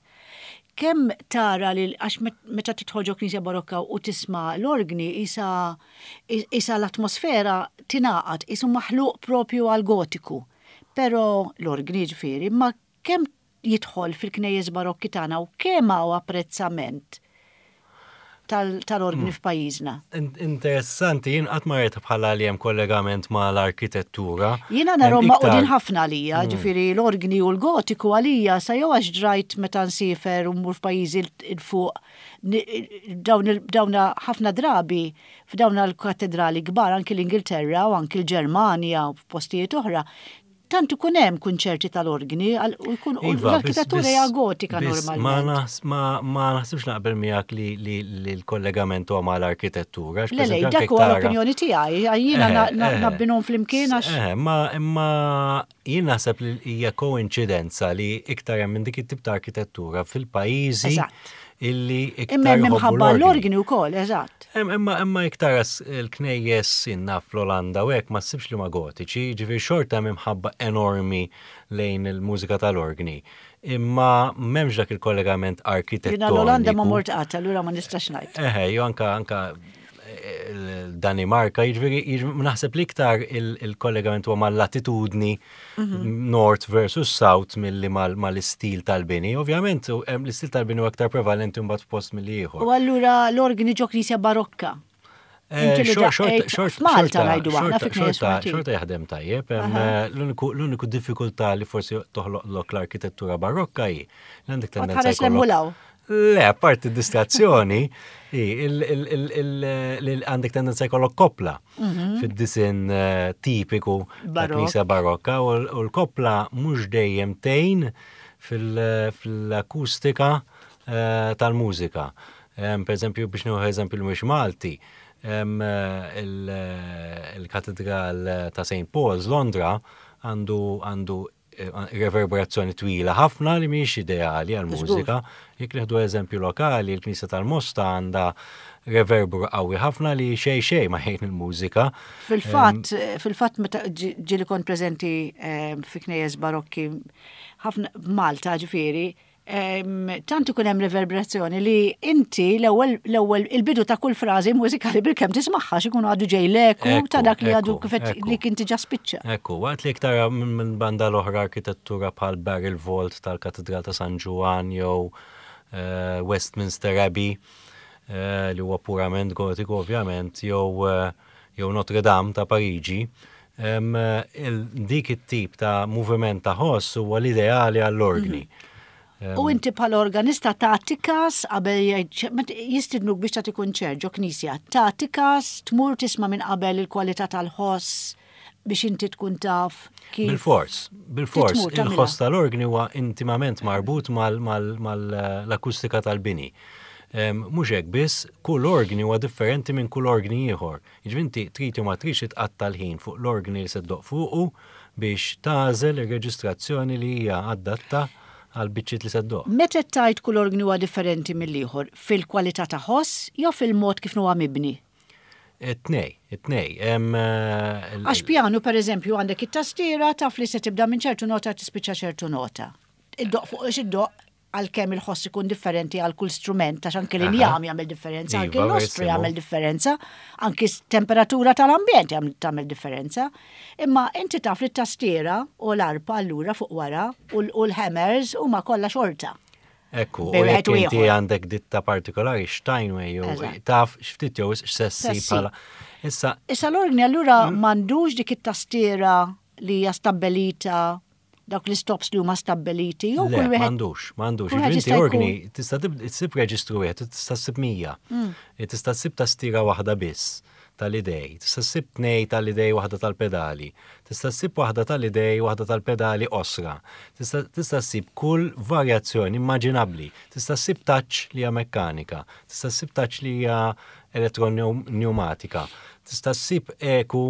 Kemm tara li għax meta tidħol ġo knisja barokka u tisma' l-orgni qisha qisha l-atmosfera tingħaqad, qisu maħluq propju għall-gotiku. Però l-orgni jiġifieri, imma kemm jidħol fil-knejjes barokki tagħna u kemm hawn apprezzament tal-orgni f'pajjiżna? Interessanti, jien qatt ma rajtha bħala li hemm kollegament mal-arkitettura. Jiena narhom magħqudin ħafna għalija, ġifieri l-orgni u l-gotiku għalija sa jew għax drajt meta nsifer u mmur f'pajjiżi 'l fuq dawn ħafna drabi f'dawn l-katedrali kbar anki l-Ingilterra u anki l-Ġermanja u f'postijiet oħra tant ikun hemm kunċerti tal-orgni u jkun iva, l-arkitettura hija gotika normalment. Ma naħsibx naqbel miegħek li l-kollegament huwa mal-arkitettura. Le, le, dak huwa l-opinjoni tiegħi, jiena eh, eh. nabbinhom flimkien għax. Eh, ma imma jien naħseb li hija koinċidenza li iktar hemm minn dik it-tip ta' arkitettura fil-pajjiżi illi iktar. Imma minħabba l-orgni wkoll, eżatt. Imma imma iktar il-knejjes inna fl-Olanda u hekk ma ssibx li ma gotiċi, ġifieri xorta hemm imħabba enormi lejn il-mużika tal-orgni. Imma m'hemmx dak il-kollegament arkitettoniku. Jiena l-Olanda ma mort qatt, allura ma nistax ngħid. Eħe, jew anka anka Danimarka, jiġifieri naħseb li iktar il-kollegament huwa mal-latitudni mhm. north versus south milli mal-istil tal-bini. Ovvjament, l-istil tal-bini huwa aktar prevalenti mbagħad f'post milli ieħor. U allura l-organi ġo knisja barokka. Eh, F'Malta ngħidu aħna fi Xorta jaħdem tajjeb. Eh, l-uniku diffikultà li forsi toħloq l-arkitettura barokka hi li għandek tendenza. Le, apparti distrazzjoni, li għandek tendenza jkollok koppla mhm. fid-disin eh, tipiku ta' knisja barokka u l-koppla mhux dejjem tgħin fil-akustika eh, tal-mużika. Per eżempju, biex nieħu eżempju li mhux Malti, il-Katedral ta' St. Paul's Londra għandu għandu reverberazzjoni twila ħafna li mhijiex ideali għal mużika. Jekk nieħdu eżempju lokali, il-Knisja tal-Mosta għandha reverbru qawwi ħafna li xej xej ma jgħin il-mużika. Fil-fatt, fil-fatt meta ġieli kont preżenti fi knejjes barokki ħafna Malta ġifieri, tant ikun hemm reverberazzjoni li inti l-ewwel l-ewwel il-bidu ta' kull frażi mużikali bilkemm tismagħha x'ikun għadu ġej l-eku ta' dak li għadu kif li kien diġà spiċċa. Ekku, waqt li tara minn banda l-oħra arkitettura bħal Barrel Vault tal-Katedral ta' San Ġwann jew eh, Westminster Abbey eh, li huwa purament gotiku ovvjament jew eh, jew Notre Dame ta' Pariġi, dik it-tip ta' moviment ta' ħoss huwa l-ideali għall-orgni. Mhm. U inti bħala organista tagħti kas qabel jistidnuk biex tagħti kunċert ġo knisja, tagħti kas tmur tisma' minn qabel il-kwalità tal-ħoss biex inti tkun taf kif. Bil-fors, bil-fors, il-ħoss tal-orgni huwa intimament marbut mal-akustika tal-bini. Mhux hekk biss, kull orgni huwa differenti minn kull orgni ieħor. Jiġifieri inti trid jew ma tridx tqatta' l-ħin fuq l-orgni li se ddoqq fuqu biex tagħżel ir-reġistrazzjoni li hija adatta għall-biċċiet li se ddoqq. Meta qed tgħid kull orgni huwa differenti mill-ieħor, fil-kwalità ta' ħoss jew fil-mod kif huwa mibni? It-tnej, it-tnej. Għax pjanu, per eżempju, għandek it-tastiera taf li se tibda minn ċertu nota tispiċċa ċertu nota. Iddoqq fuq iddoqq għalkemm il-ħoss ikun differenti għal kull strument, għax anke l-injam jagħmel differenza, anke iva, l-ostru jagħmel differenza, anke temperatura tal-ambjent tagħmel differenza. Imma inti taf li t-tastiera u l-arpa allura fuq wara u l-hammers huma kollha xorta. Ekku, u jekk inti għandek ditta partikolari Steinway jew taf x'ftit jew x'sessi bħala. Issa Issa l-orgni allura mm. m'għandux dik it-tastiera li hija stabbelita dawk l-istops li huma stabbeliti jew kull wieħed. M'għandux, m'għandux. Inti orgni tista' tsib reġistru wieħed, tista' ssib 100. Mm. E tista' ssib tastiera waħda biss tal-idej, tista' ssib tnej tal-idej waħda tal-pedali, tista' ssib waħda tal-idej waħda tal-pedali osra, tista' ssib kull varjazzjoni immaġinabbli, tista' ssib touch li hija mekkanika, tista' ssib touch li hija elettroneumatika, tista' ssib eku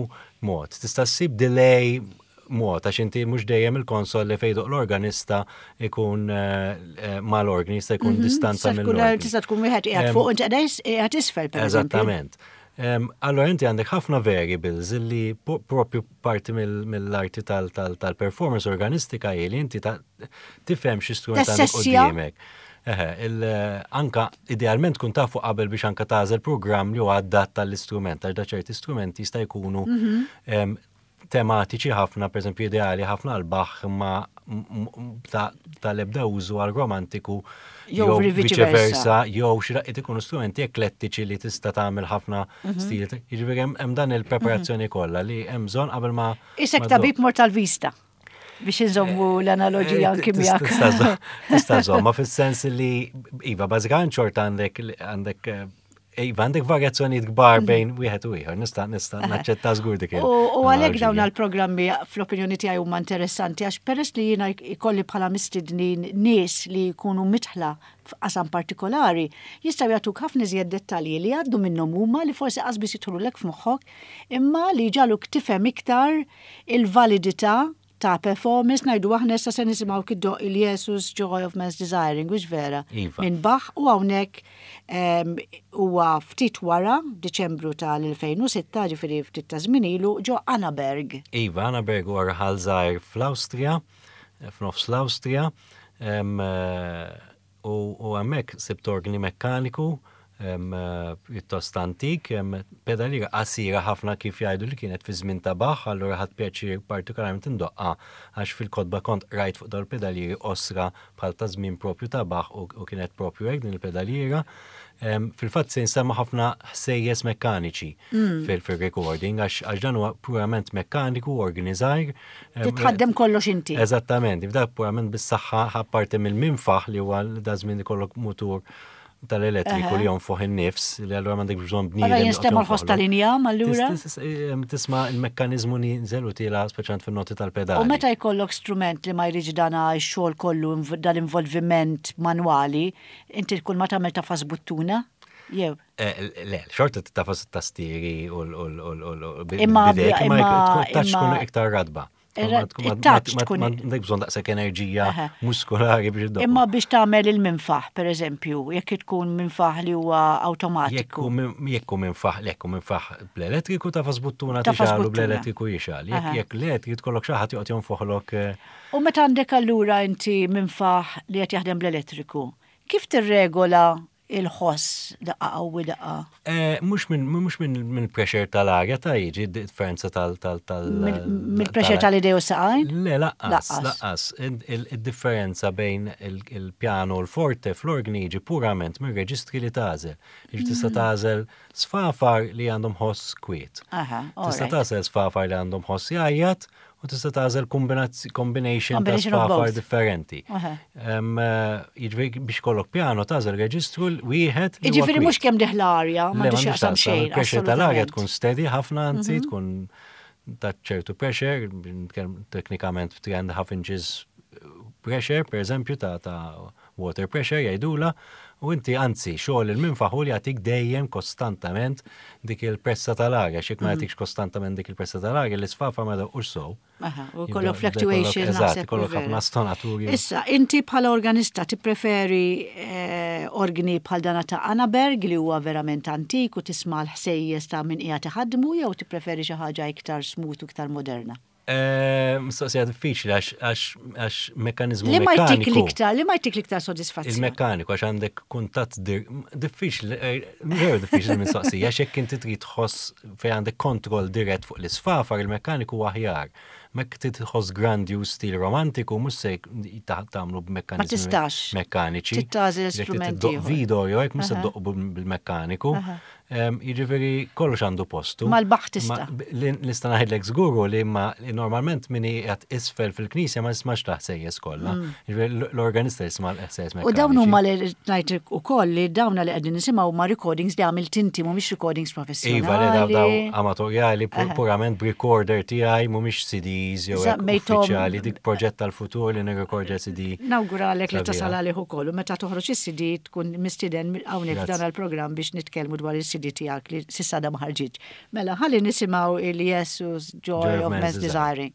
mod, tista' ssib delay mod, għax inti mhux dejjem il-konsol li fejn l-organista ikun eh, eh, mal-organi, jista' jkun mhm, distanza mill-organi. Tista' tkun wieħed qiegħed fuq inti qiegħed isfel pereżempju. Eżattament. Allora inti għandek ħafna variables li propju parti mill-arti tal-performance organistika hi li inti tifhem xi strument għandek quddiemek. Eħe, anka idealment tkun tafu qabel biex anka tagħżel programm li huwa adatt tal-istrument, għax da ċerti strumenti jista' jkunu mhm. tematiċi ħafna, per eżempju ideali ħafna għal Bach imma tal-ebda użu għal romantiku jew viċeversa, jew xi daqqiet ikunu strumenti eklettiċi li tista' tagħmel ħafna mhm. stil. Jiġifieri hemm dan il-preparazzjoni mhm. kollha li hemm bżonn qabel ma. Isek tabib mort tal-vista biex inżommu eh, l-analogija eh, anki miegħek. Tista' żomma fis-sens li iva bażikament xorta għandek għandek eh, Iva, għandek varjazzjonijiet kbar mhm. bejn wieħed u ieħor, nista' nista' naċċetta żgur dik. U għalhekk dawn għall-programmi fl-opinjoni tiegħi huma interessanti għax peress li jiena jkolli bħala mistednin nies li jkunu mitħla f'qasam partikolari, jistgħu jagħtuk ħafna iżjed dettalji li jgħaddu minnhom huma li forsi qas biss jidħlulek f'moħħok imma li jġagħluk tifhem iktar il-validità ta' performance ngħidu aħna issa se nisimgħu kiddoq il-Jesus Joy of Man's Desiring, hux vera? Iva. Minn Bach u hawnhekk ehm, huwa ftit wara Diċembru tal-2006, ġifieri ftit ta' żmien ilu, ġo Annaberg. Iva, Annaberg huwa raħal żgħir fl-Awstrija, f'nofs l-Awstrija. Ehm, U hemmhekk sibt orgni mekkaniku pjuttost antik, pedaliera qasira ħafna kif jgħidu li kienet fi żmien ta' Bach, allura ħadt pjaċir partikolarment indoqqha għax fil-kotba kont qrajt fuq dawn il-pedalieri qosra bħal ta' żmien propju ta' Bach u kienet propju hekk din il-pedaliera. Fil-fatt se jinstema' ħafna ħsejjes mekkaniċi mm. fil-recording għax dan huwa purament mekkaniku, organi żgħir. Titħaddem kollox inti. Eżattament, dak purament bis-saħħa apparti mill-minfaħ li huwa da żmien ikollok mutur tal-elettriku li jonfoħ in-nifs li allura m'għandek bżonn bniedem. Allura jinstema' l-ħoss tal-injam allura? Tisma' il-mekkaniżmu nieżel u tiela speċjalment fin-noti tal-pedali. U meta jkollok strument li ma jridx dan x-xogħol kollu dal-involviment manwali, inti kull ma tagħmel tafas buttuna? Jew? Eh, le, xorta tafas it-tastieri u l Imma tkun iktar radba. Il-touch tkun. M'għandek bżonn daqshekk enerġija muskolari biex iddoqq. Imma biex tagħmel il-minfaħ, pereżempju, jekk tkun minfaħ li huwa awtomatiku. Jekk hu minfaħ, jekk hu minfaħ bl-elettriku tafas buttuna tixgħalu bl-elettriku jixgħal. Jekk le trid tkollok xi ħadd joqgħod jonfoħlok. U meta għandek allura inti minfaħ li qed jaħdem bl-elettriku, kif tirregola il-ħoss daqqa qawwi daqqa? Eh, mhux minn mhux minn pressure tal-arja ta' jiġi differenza tal tal tal Mill-pressure tal-idej u saqajn? Le, laqqas, laqqas. Il-differenza bejn il-pjano u l-forte fl-orgni jiġi purament mir-reġistri li tagħżel. Jiġi tista' mm. tagħżel sfafar li għandhom ħoss kwiet. Tista' tagħżel sfafar li għandhom ħoss jgħajjat u tista' tagħżel combination ta' sfafar differenti. Eh, jiġifieri biex kollok piano tagħżel reġistru wieħed. Jiġifieri mhux kemm diħla arja, ma x'jaqsam xejn. Il-pressure tal-arja tkun steady ħafna anzi mhm. tkun ta' ċertu pressure, teknikament 3 and a half inches pressure, per eżempju, ta' ta' water pressure jgħidula, u inti anzi xogħol il-minfaħ hu li jagħtik dejjem kostantament dik il-pressa tal-arja, x'jekk ma mhm. jagħtikx kostantament dik il-pressa tal-arja, l-isfafa ma jdoqqux sew. U kollok fluctuation. Eżatt, kollok ħafna stonaturi. Issa, inti bħala organista tippreferi eh, organi bħal dana ta' Annaberg li huwa verament antik u tisma' l-ħsejjes ta' min qiegħed iħaddmu jew tippreferi xi ħaġa iktar smooth u iktar moderna? Eh, mistoqsija diffiċli għax mekanizmu. Li ma jtik l-iktar, li ma jtik l-iktar sodisfazzjon. Il-mekkaniku għax għandek kuntatt diffiċli, eh, veru diffiċli mistoqsija, għax jekk inti trid tħoss fejn għandek kontroll dirett fuq l-isfafar, il-mekkaniku aħjar. Mek trid tħoss grandju stil romantiku, mhux se tagħmlu b'mekkaniżmi. Ma tistax. Mekkaniċi. Tagħżel strumenti. Video jew hekk mhux se ddoq bil-mekkaniku. Jiġifieri kollox għandu postu. Mal-baħ tista'. Nista' ngħidlek żguru li ma normalment min qiegħed isfel fil-knisja ma jismax l-ħsejjes kollha. Mm. Jiġifieri l-organista jisma' l-ħsejjes U dawn huma li ngħid ukoll li dawn li qegħdin nisimgħu huma recordings li għamilt inti mhumiex recordings professjonali. Iva, li daw amatorjali purament b'recorder tiegħi mhumiex CDs jew uffiċjali dik proġett tal-futur li nirrekordja CD. Nawguralek li tasal għalih ukoll u meta toħroġ is-CD tkun mistieden hawnhekk f'dan il-programm biex nitkellmu dwar is-CD tiegħek li s'issa għadha ma ħarġitx. Mela ħalli nisimgħu il-Jesus Joy of Man's Desiring.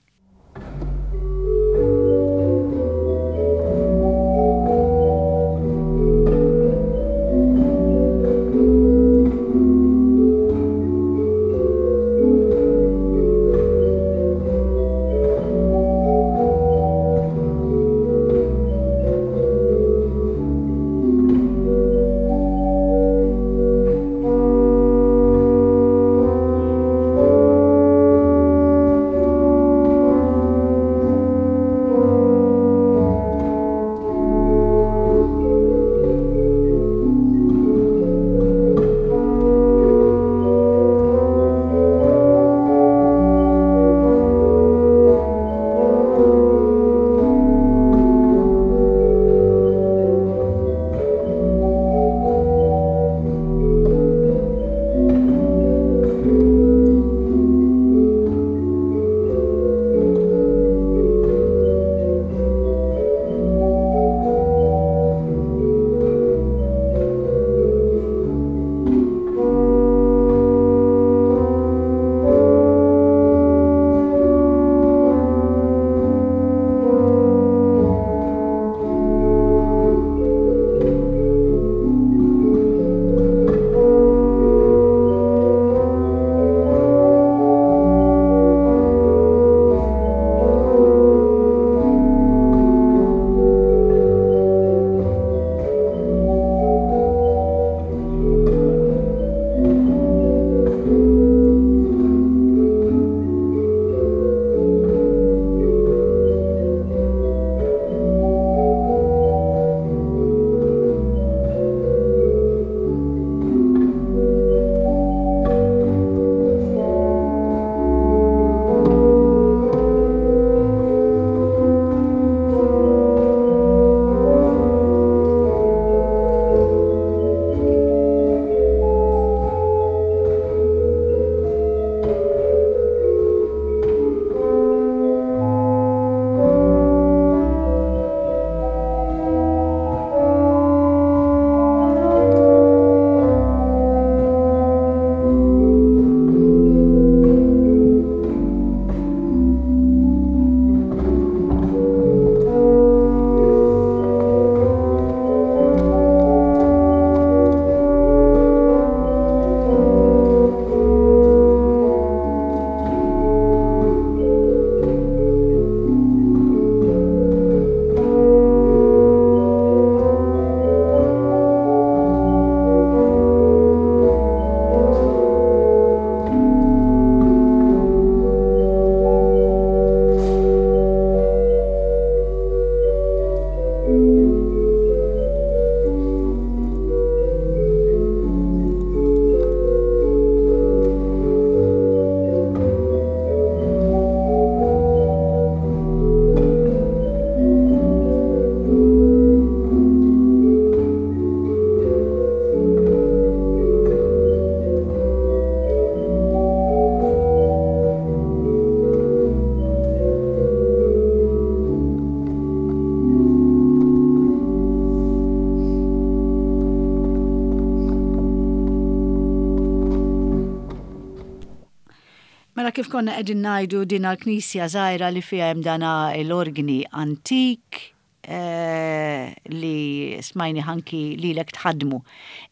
kif konna qegħdin ngħidu din l-knisja żgħira li fiha hemm dana l-orgni antik eh, li smajni ħanki lilek tħaddmu.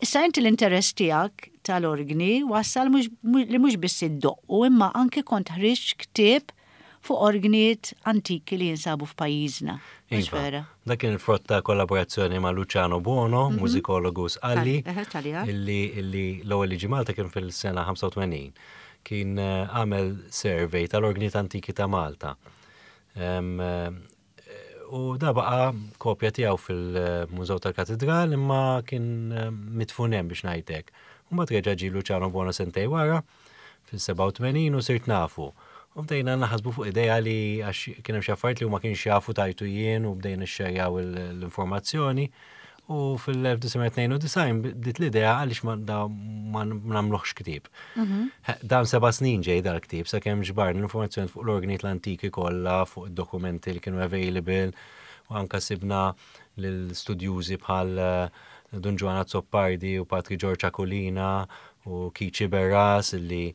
Issa inti l-interess tiegħek tal-orgni wassal li mhux biss iddoqqu imma anke kont ħriġt ktieb fuq orgnijiet antiki li jinsabu f'pajjiżna. Mhux Iva. Vera? Dak kien il-frott ta' kollaborazzjoni ma' Luciano Buono, mużikologu Sqalli, Eħe, Taljan. illi illi l-ewwel li ġie Malta kien fil-sena 85. Kien eh, għamel survey tal-orgnijiet antiki ta' Malta. Em, eh, U da baqa kopja tiegħu fil-Mużew tal-Katedral imma kien eh, midfun hemm biex ngħidlek. U mbagħad reġa' ġie Luciano Buono sentej wara fil-87 u sirt nafu. U bdejna naħsbu fuq idea li għax kien hemm xi affarijiet li huma kienx jafu tajtu jien u bdejna xxerjaw l-informazzjoni. U fil-1992 bdiet l-idea għaliex ma da ma nagħmluhx ktieb. Dan 7 snin ġej dal-ktieb sakemm ġbarna l-informazzjoni fuq l-organijiet l-antiki kollha, fuq id-dokumenti li kienu available, u anka sibna l-studjużi bħal eh, Dun Ġwann Azzopardi u Patri George Aquilina u Kiċi Berras illi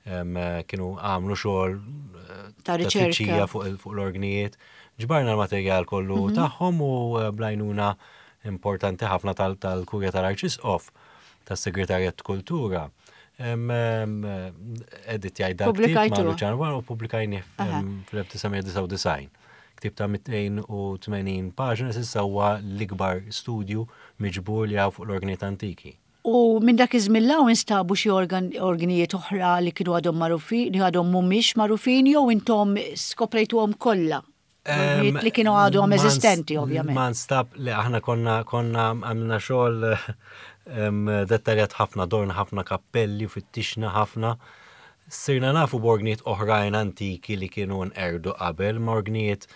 em, kienu għamlu xogħol eh, Ta' riċerka. tfittxija fuq fuq l-orgnijiet. Ġbarna l-materjal kollu tagħhom u eh, bl-għajnuna importanti ħafna tal-Kurja tal-Arċisqof, tas-Segretarjat Kultura. Editjajt dal ktieb ma' Pubblikajtuh. Luciano Buono u pubblikajnih fl-1999. Ktieb ta' 280 paġna s'issa huwa l-ikbar studju miġbur li hawn fuq l-orgnijiet antiki. U minn dak iż-żmien 'l hawn instabu xi organijiet oħra li kienu għadhom magħrufin, li għadhom mhumiex magħrufin jew intom skoprejtuhom kollha? Organijiet li kienu għadhom eżistenti, ovvjament. Ma nstab li aħna konna għamilna xogħol dettaljat ħafna, dorna ħafna kappelli, fittixna ħafna. Sirna nafu b'orgnijiet oħrajn antiki li kienu nqerdu qabel, ma orgnijiet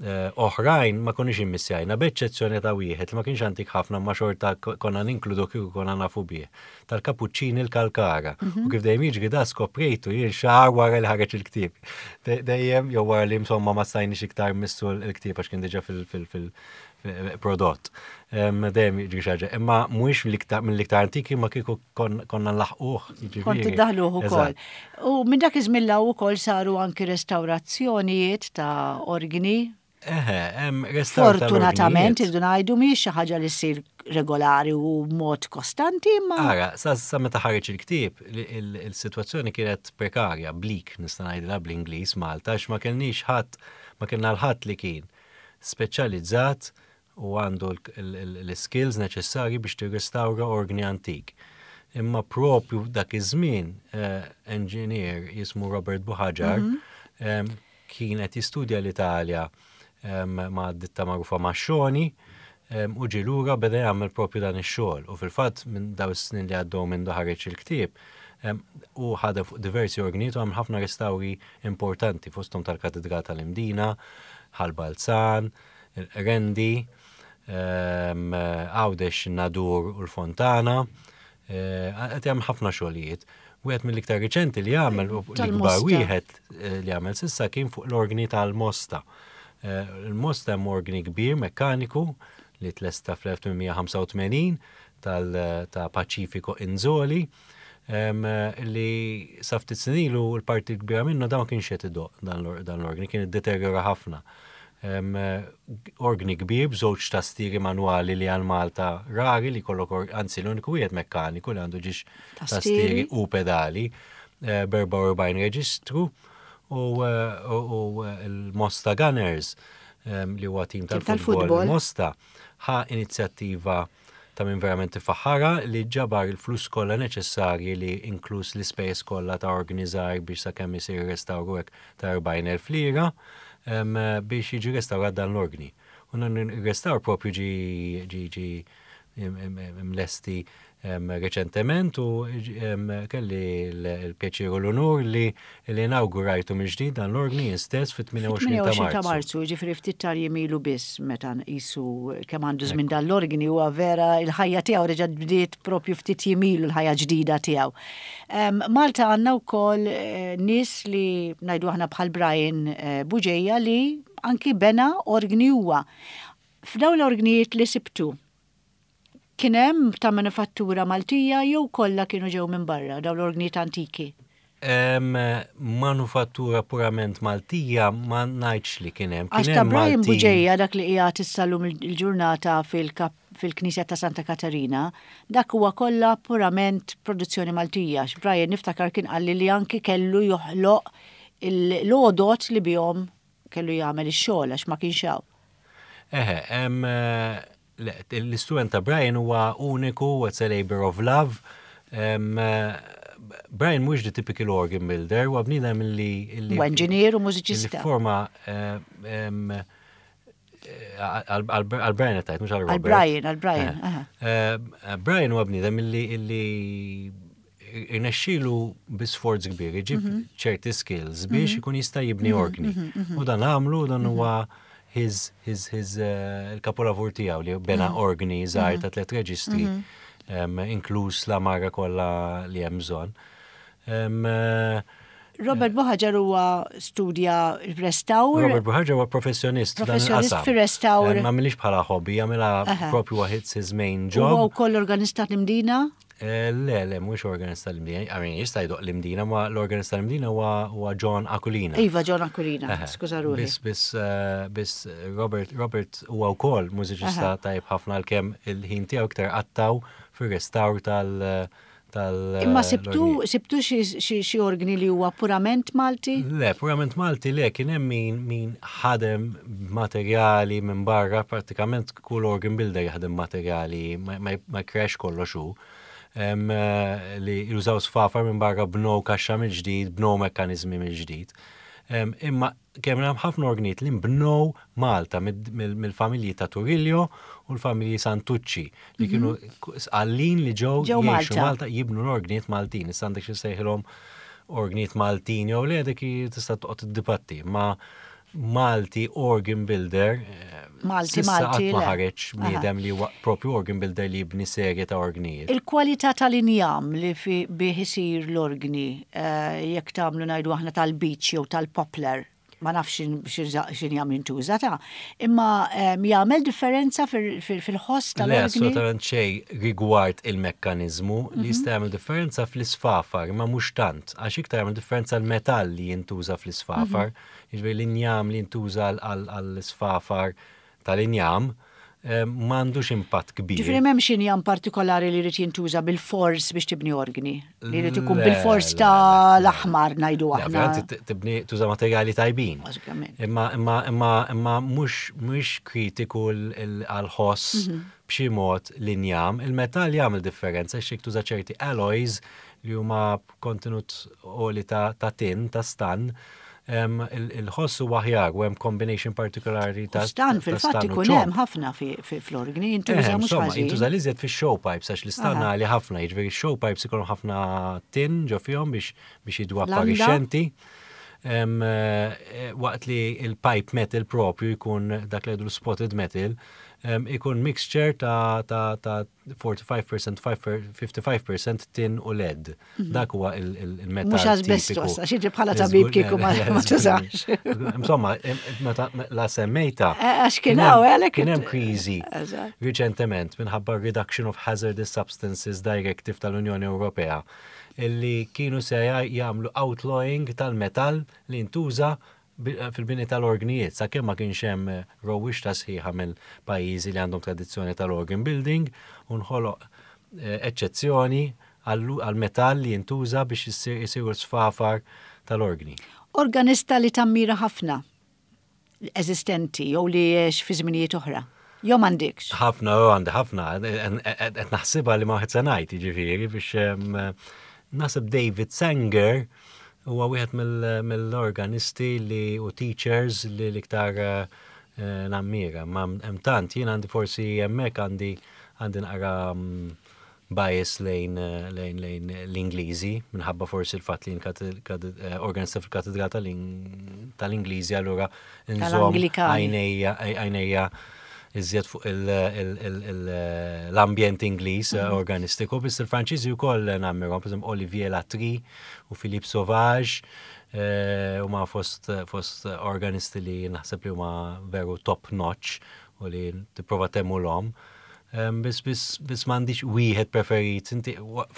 oħrajn ma konniex immissjajna, b'eċċezzjoni ta' wieħed li ma kienx antik ħafna ma xorta konna ninkludu kieku konna nafu bih. Tal-Kapuċċini l-Kalkara. U kif dejjem jiġri da skoprejtu jien xahar wara li ħareġ il-ktieb. Dejjem jew wara li insomma ma stajniex iktar missu l-ktieb għax kien diġà fil-prodott. Dejjem jiġri xi ħaġa. Imma mhuwiex mill-iktar antiki ma kieku konna nlaħquh. Kontu jiġifieri. daħluh ukoll. Eżatt. U minn dak iż-żmien 'l hawn ukoll saru anki restawrazzjonijiet ta' organi. Eħe, hemm restawr Fortunatament tal-orgnijiet. irridu ngħidu mhijiex xi ħaġa li ssir regolari u mod kostanti, imma Ara, sa meta ħareġ il-ktieb, il-sitwazzjoni kienet prekarja, bleak, nista' ngħidilha bl-Ingliż Malta, għax ma kellniex ħadd, ma kellna l-ħadd li kien speċjalizzat u għandu l-skills neċessarji biex tirrestawra organi antik. Imma propju dak iż-żmien engineer jismu Robert Buhagiar kien qed jistudja l-Italja ma' ditta magħrufa Mascioni u ġie lura beda jagħmel propju dan ix-xogħol. U fil-fatt minn daw is-snin li għaddew minn ħareġ il-ktieb u ħadem fuq diversi organijiet u għamel ħafna restawri importanti fosthom tal-Katedral tal-Imdina, Ħal Balzan, il-Rendi, Għawdex Nadur u l-Fontana. Qed jagħmel ħafna xogħlijiet. Wieħed mill-iktar riċenti li għamel u l-ikbar Tal-Mosta. wieħed li għamel s'issa kien fuq l-organi tal-Mosta. Il-Mosta hemm organi kbir mekkaniku li tlesta fl-1885 ta' Pacifico Inzoli li sa ftit snin ilu l-parti kbira minnu dan ma kienx qed idoq dan l-organi, kien iddeterjora ħafna. Organi kbir b'żewġ tastieri manwali li għal Malta rari li kollok anzi l-uniku wieħed mekkaniku li għandu ġiex Tastieri. tastieri u pedali, b'44 reġistru u l-Mosta Gunners li huwa tim Tim tal-futbol tal-futbol. Mosta ħa inizjattiva ta' min verament tifaħħara li ġabar il-flus kollha neċessarji li inkluż l-ispejjeż kollha ta' organizzar biex sakemm isir restawru hekk ta' 40,000 lira biex jiġi restawrat dan l-organi. U dan ir-restawr propju ġi mlesti reċentement u kelli l-pjaċir u l-onur li inawgurajtu mill-ġdid dan l-organi jien stess fit-28 ta' 28 ta' Marzu. Marzu, ġifieri ftit tal jemilu biss meta nqisu kemm għandu żmien dan l-organi huwa vera il-ħajja tiegħu reġgħet bdiet propju ftit jemilu l-ħajja ġdida tiegħu. Malta għandna wkoll nies li ngħidu aħna bħal Brian Bugeja li anki bena organi huwa. F'dawn l-organijiet li sibtu, kien hemm ta' manifattura Maltija jew kollha kienu ġew minn barra dawn l-organijiet antiki? Manufattura purament Maltija ma ngħidx li kien hemm. Għax ta' Brian Buġeja dak li qiegħed issa llum il-ġurnata fil-Knisja ta' Santa Katarina, dak huwa kollha purament produzzjoni Maltija. Għax Brian niftakar kien qalli li anki kellu joħloq l-għodod li bihom kellu jagħmel ix-xogħol għax ma kienx hawn. Eħe, l-istrument ta' Brian huwa uniku, it's a labor of love. Brian mhux the typical organ builder, huwa bniedem li. Huwa engineer u mużiċista. Forma għal Brian qed mhux għal Robert. Għal Brian, għal Brian. Brian huwa bniedem illi irnexxielu bi sforz kbir iġib mhm. ċerti skills biex mhm. ikun jista' jibni mhm, orgni. U dan għamlu dan huwa his his his eh, il-kapolavur tiegħu li bena orgni żgħar ta' tliet reġistri inkluż la mara kollha li hemm bżonn. Eh, Robert Buħaġar huwa studja restawr. Robert Buħaġar huwa professjonist. Professjonist fir-restawr. Ma milix bħala hobby, jagħmilha propju waħid his main job. Huwa wkoll organista l-Imdina? Eh, le, le, mhux organist tal-Imdina. I mean, jista' jdoq l-Imdina, ma l-organist tal-Imdina huwa John Aquilina. Iva, John Aquilina, skuża ruħi. Biss, biss, eh, biss Robert, Robert huwa wkoll mużiċista tajb ħafna għalkemm il-ħin tiegħu iktar qattaw fir-restawr tal- tal Imma sibtu sibtu xi organi li huwa purament Malti? Le, purament Malti le, kien hemm min min ħadem materjali minn barra, pratikament kull organ builder jaħdem materjali, ma jkrex kollox hu. Eh, li jużaw sfafar minn barra bnow kaxxa mill-ġdid, bnow mekkanizmi mill-ġdid. Imma kemm hemm ħafna organijiet li nbnow Malta mill-familji ta' Turillo u l-familji Santucci li kienu mhm. għallin li ġew jgħixu Malta jibnu l-organijiet Maltin. Issa għandek xi sejħilhom organijiet Maltin jew le dik tista' toqgħod iddibatti. Ma Malti organ builder. Eh, Malti, Malti. Ma ħareġ bniedem li huwa propju organ builder li jibni serje ta' organijiet. Il-kwalità tal-injam li fi bih isir l-organi, eh, jekk tagħmlu ngħidu aħna tal-beach jew tal-poplar, ma nafx x'injam jintuża ta' imma ehm, jagħmel differenza fil-ħoss tal-organi. Le, assolutament xejn rigward il-mekkaniżmu li mhm. jista' jagħmel differenza fl-isfafar, ma mhux tant, għax iktar jagħmel differenza l-metall li jintuża fl-isfafar. Mhm. Jiġifieri l-injam li jintuża għall-isfafar tal-injam eh, m'għandux impatt kbir. Ġifieri m'hemmx injam partikolari li jrid jintuża bil-fors biex tibni organi, li jrid ikun bil-fors ta' l-aħmar ngħidu aħna. Tibni tuża materjali tajbin. Imma imma imma imma mhux mhux kritiku għall-ħoss mhm. b'xi mod l-injam, il-metall jagħmel differenza x'jekk tuża ċerti alloys li huma kontenut għoli ta' tin, ta' stan, il-ħoss huwa aħjar u hemm combination partikolari ta' stan fil-fatt ikun hemm ħafna fl-organi, jintuża mhux ħażin. Jintuża l-iżjed fix-show pipes għax l-istan għali ħafna, jiġifieri show pipes ikollhom ħafna tin ġo fihom biex biex jiddu apparixxenti. Eh, waqt li il-pipe metal propju jkun dak li spotted metal, ikun mixture ta' 45%, 55% tin u lead. Mhm. Dak huwa il-metal. Mhux asbestos, għax jiġi bħala tabib kieku ma tużax. Insomma, meta la semmejta. Eh, għax kien hawn għalhekk. Kien hemm kriżi riċentement minħabba Reduction of Hazardous Substances Directive tal-Unjoni Ewropea illi kienu se jagħmlu outlawing tal-metall li ntuża fil-bini tal-orgnijiet, sakemm ma kienx hemm rewwixta sħiħa mill-pajjiżi li għandhom tradizzjoni tal-organ building u nħoloq eh, eċċezzjoni għall-metall li jintuża biex isiru sfafar tal-orgni. Organista li tammira ħafna eżistenti jew li għex fi żminijiet oħra. Jew m'għandikx? Ħafna, oh, għandi ħafna, qed naħsibha li ma wieħed se ngħid, jiġifieri biex naħseb David Sanger huwa wieħed mill-organisti li u teachers li l-iktar eh, nammira. Ma hemm tant, jien għandi forsi hemmhekk għandi għandi naqra mm, bias lejn lejn lejn l-Ingliżi minħabba forsi l-fatt li jien organista fil-katedral tal-Ingliżi allura nżomm għajnejja għajnejja iżjed fuq l-ambjent Ingliż mhm. organistiku, biss il-Franċiżi wkoll nammirhom, per Olivier Latry u Philippe Sauvage, eh, huma fost fost organisti li naħseb li huma veru top notch u li tipprova temulhom. Biss biss biss m'għandix wieħed preferit. Inti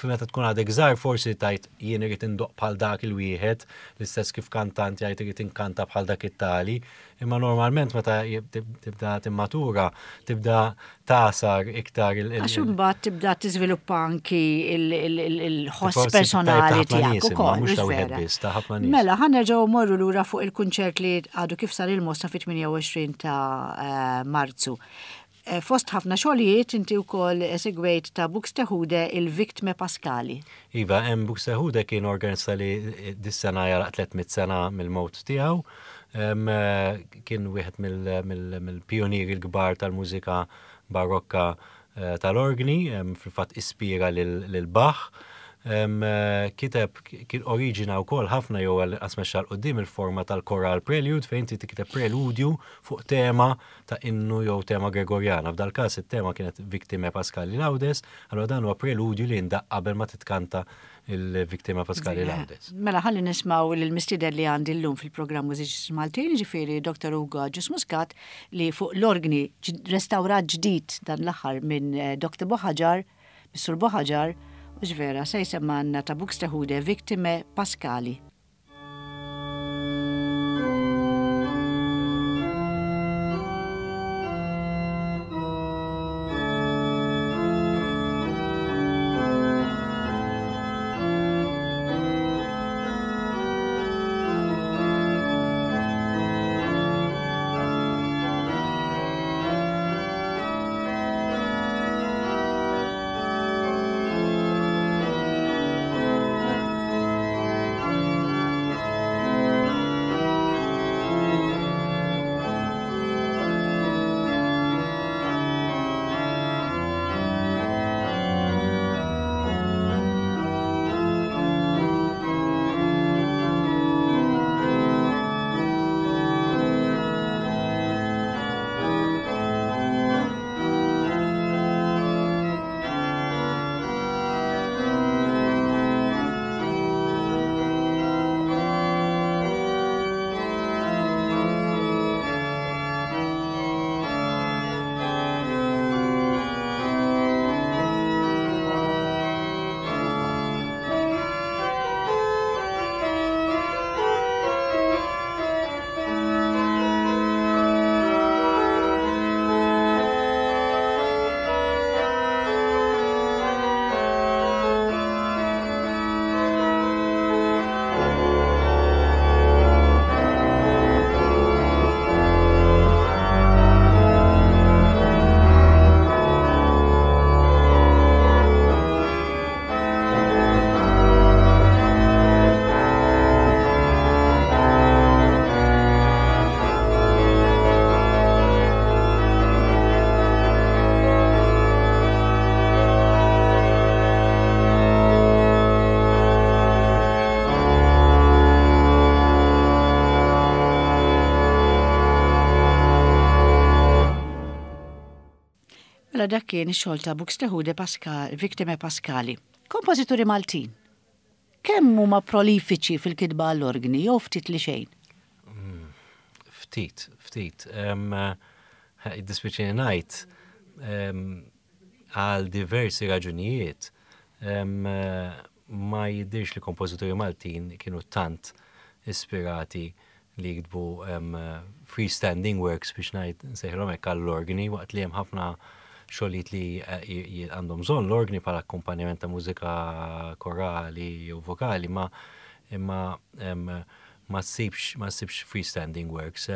meta tkun għadek żgħar forsi tajt jien irid indoqq bħal dak il-wieħed, l-istess kif kantant jgħid irid inkanta bħal dak it-tali. Imma normalment meta tibda timmatura, tibda tagħsar iktar il- Għax imbagħad tibda tiżviluppa anki il-ħoss personali tiegħek ukoll. Mhux ta' wieħed biss, ta' ħafna nies. Mela, ħa nerġgħu mmorru lura fuq il-kunċert li għadu kif sar il-Mosta fit-28 ta' eh, Marzu. Eh, fost ħafna xogħlijiet inti wkoll esegwejt ta' Buxtehude il-Victime Pascali. Iva, hemm Buxtehude kien organista li eh, dis-sena jaraq 300 sena mill-mewt tiegħu. Eh, kien wieħed mill-pionieri l-kbar tal-mużika barokka tal-orgni, fil-fatt ispira lil Bach. Kiteb kien oriġina wkoll ħafna jew għal mexxa 'l quddiem il-forma tal-choral prelude fejn inti tikteb preludju fuq tema ta' innu jew tema Gregorjana. F'dal-każ it-tema kienet Victimae Paschali Laudes, allura dan huwa preludju li jindaqq qabel ma titkanta il-Victimae Paschali Laudes. Mela ħalli nismgħu lill-mistieden li għandi llum fil-programm Mużiċisti Maltin, jiġifieri Dr. Ugo Agius Muscat li fuq l-orgni restawrat ġdid dan l-aħħar minn Dr. Buhaġar, mis-Sur Buhaġar, hux vera, se jsemmgħalna ta' Buxtehude Victimae Paschali. Mela dak kien ix-xogħol ta' Buxtehude Pascal, Victime Pascali. Kompożituri Maltin. Kemm huma prolifiċi fil-kitba għall-orgni jew ftit li xejn? Mm, ftit, ftit. Id-dispiċini ngħid għal diversi raġunijiet ma jidhirx li kompożituri Maltin kienu tant ispirati li jiktbu freestanding works biex ngħid nsejħilhom hekk għall-orgni waqt li hemm ħafna xogħlijiet li eh, għandhom bżonn l-orgni bħala akkumpanjament ta' mużika korali jew vokali ma imma ma ssibx ma ssibx freestanding works.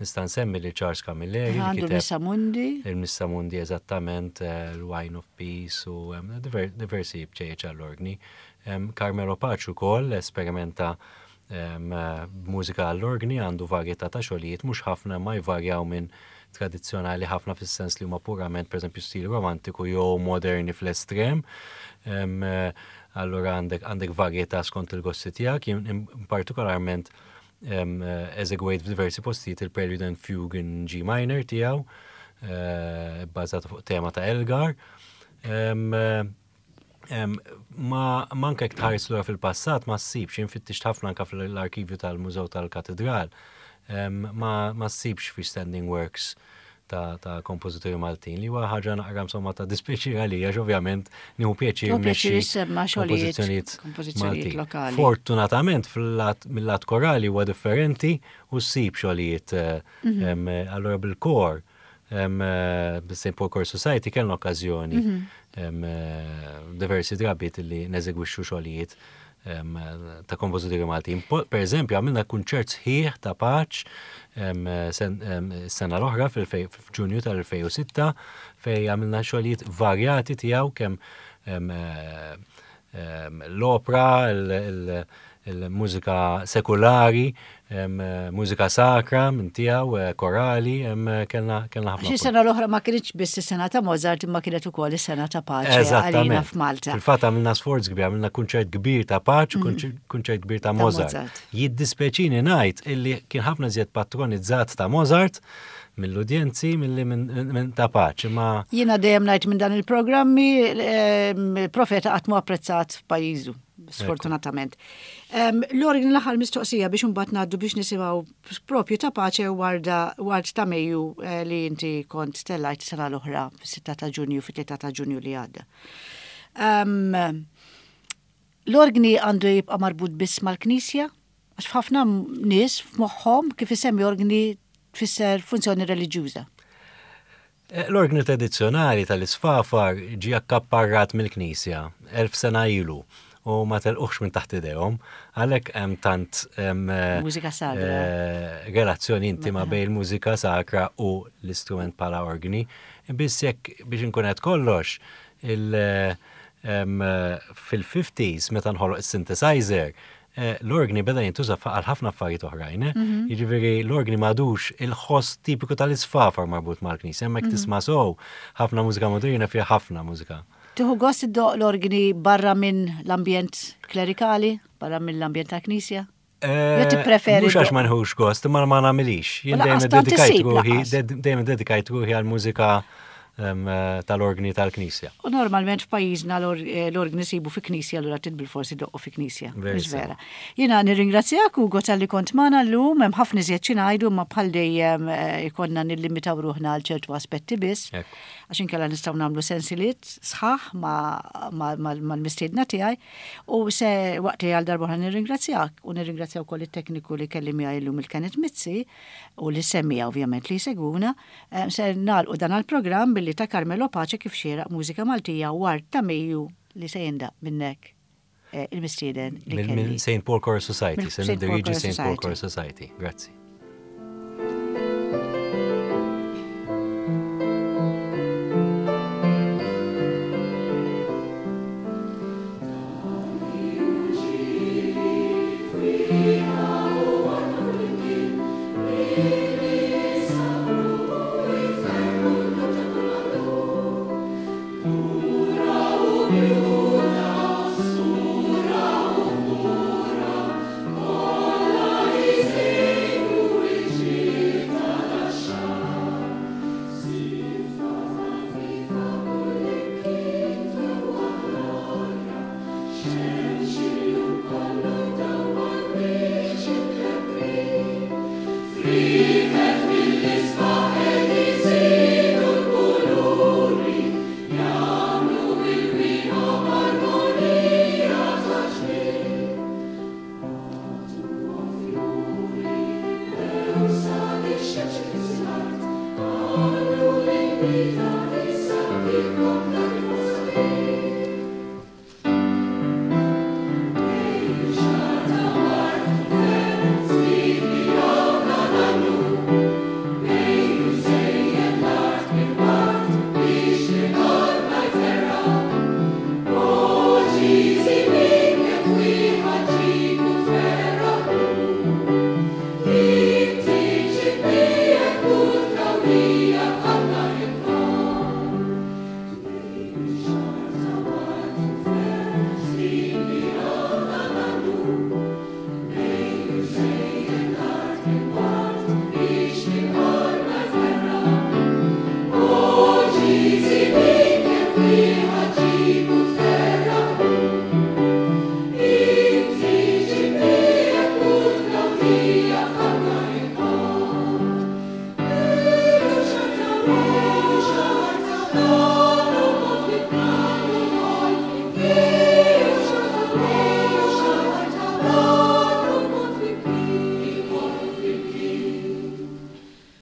Nista' nsemmi lil Charles Camilleri. Għandu l-Missa Mundi. Il-Missa Mundi eżattament, eh, l-Wine of Peace u diversi bċejjeċ għall-orgni. Carmelo Pace ukoll esperimenta b'mużika għall-orgni, għandu varjetà ta' xogħlijiet, mhux ħafna imma jvarjaw minn tradizzjonali ħafna fis-sens li huma purament pereżempju stil romantiku jew moderni fl-estrem. Allura għandek għandek varjetà skont il-gosti tiegħek, jien partikolarment eżegwejt f'diversi postijiet il-Prelude and Fugue in G minor tiegħu, eh, bbażata fuq tema ta' Elgar. Ma manka jekk tħares lura fil-passat ma ssibx, jien fittixt ħafna anka fl-arkivju tal-Mużew tal-Katedral, ma ssibx freestanding works. ta' kompożituri Maltin li huwa ħaġa naqra insomma ta' dispjaċir għalija għax ovvjament nieħu pjaċir mmexxi xogħlijiet kompożizzjonijiet lokali. Fortunatament mill-lat korali huwa differenti u ssib xogħlijiet eh, mhm. allura bil-kor bis-St. Paul Choir Society kellna okkażjoni mhm. eh, diversi drabiet li neżegwixxu xogħlijiet ta' kompożituri Maltin. Per eżempju, għamilna kunċert sħiħ ta' Paċ sena l-oħra fil-Ġunju tal-2006 fej għamilna xogħlijiet varjati tiegħu kemm l-opra, il-mużika sekulari, mużika sakra minn tiegħu, eh, korali, kellna kellna ħafna. Xi sena l-oħra ma kienx biss is-sena ta' Mozart imma kienet ukoll is-sena ta' Paċe għalina f'Malta. Fil-fatt għamilna sforz kbir, għamilna kunċert kbir ta' Paċe, mhm. kunċert kbir ta' Mozart. Jiddispeċini ngħid illi kien ħafna żjed patronizzat ta' Mozart mill-udjenzi milli minn ta' Paċe. Ma Jiena dejjem ngħid minn dan il-programmi profeta qatt mu apprezzat f'pajjiżu sfortunatament. L-orgni l-aħħar mistoqsija biex imbagħad ngħaddu biex nisimgħu propju ta' paċe warda ward ta' Mejju eh, li inti kont tellajt sena l-oħra fis-6 ta' Ġunju fit-3 ta' Ġunju li għadda. L-orgni għandu jibqa' marbut biss mal-Knisja? Għax f'ħafna nies f'moħħhom kif isemmi orgni tfisser funzjoni reliġjuża. Eh, l-orgni tradizzjonali tal-isfafar ġie akkapparrat mill-Knisja 1000 sena ilu u ma telquħx minn taħt idejhom, għalhekk hemm tant eh, mużika sagra. Eh, relazzjoni intima bejn il-mużika sakra u l-istrument bħala orgni. Biss jekk biex inkun qed kollox, fil-50s meta nħoloq is-synthesizer, Eh, l-orgni beda jintuża għal ħafna affarijiet oħrajn. Eh? Mhm. Jiġifieri l-orgni m'għadux il-ħoss tipiku tal-isfafar marbut mal-knisja, hemmhekk mhm. tisma' sow ħafna mużika moderna fiha ħafna mużika. Tieħu gost iddoq l-orgni barra minn l-ambjent klerikali, barra minn l-ambjent tal-knisja? Eh, Jew tippreferi? Mhux għax ma nħux gost, imma ma nagħmilix. Jien dejjem dedikajt ruħi, dejjem dedikajt ruħi għal mużika tal-orgni tal-Knisja. U normalment f'pajjiżna eh, l-orgni sibu fi knisja allura trid bil-forsi doqqu fi knisja. Mhux vera. Jiena nirringrazzjak Ugo talli kont magħna llum hemm ħafna iżjed xi ngħidu imma bħal dejjem eh, ikonna nillimitaw ruħna għal ċertu aspetti biss. Għax inkella nistgħu nagħmlu sensiliet sħaħ mal-mistiedna tiegħi u se waqt li għal darba nirringrazzjak u nirringrazzja wkoll it-tekniku li kelli miegħi llum il-Kenneth Mizzi u li semmija ovvjament li jsegwuna. Eh, se nagħlqu dan għall-programm billi ta' Carmelo Pace kif xieraq mużika Maltija ward ta' Mejju li se jindaq minnek eh, il-mistieden li kelli. St. Paul Choir Society, se niddirieġi St. Paul Choir Society. Grazzi.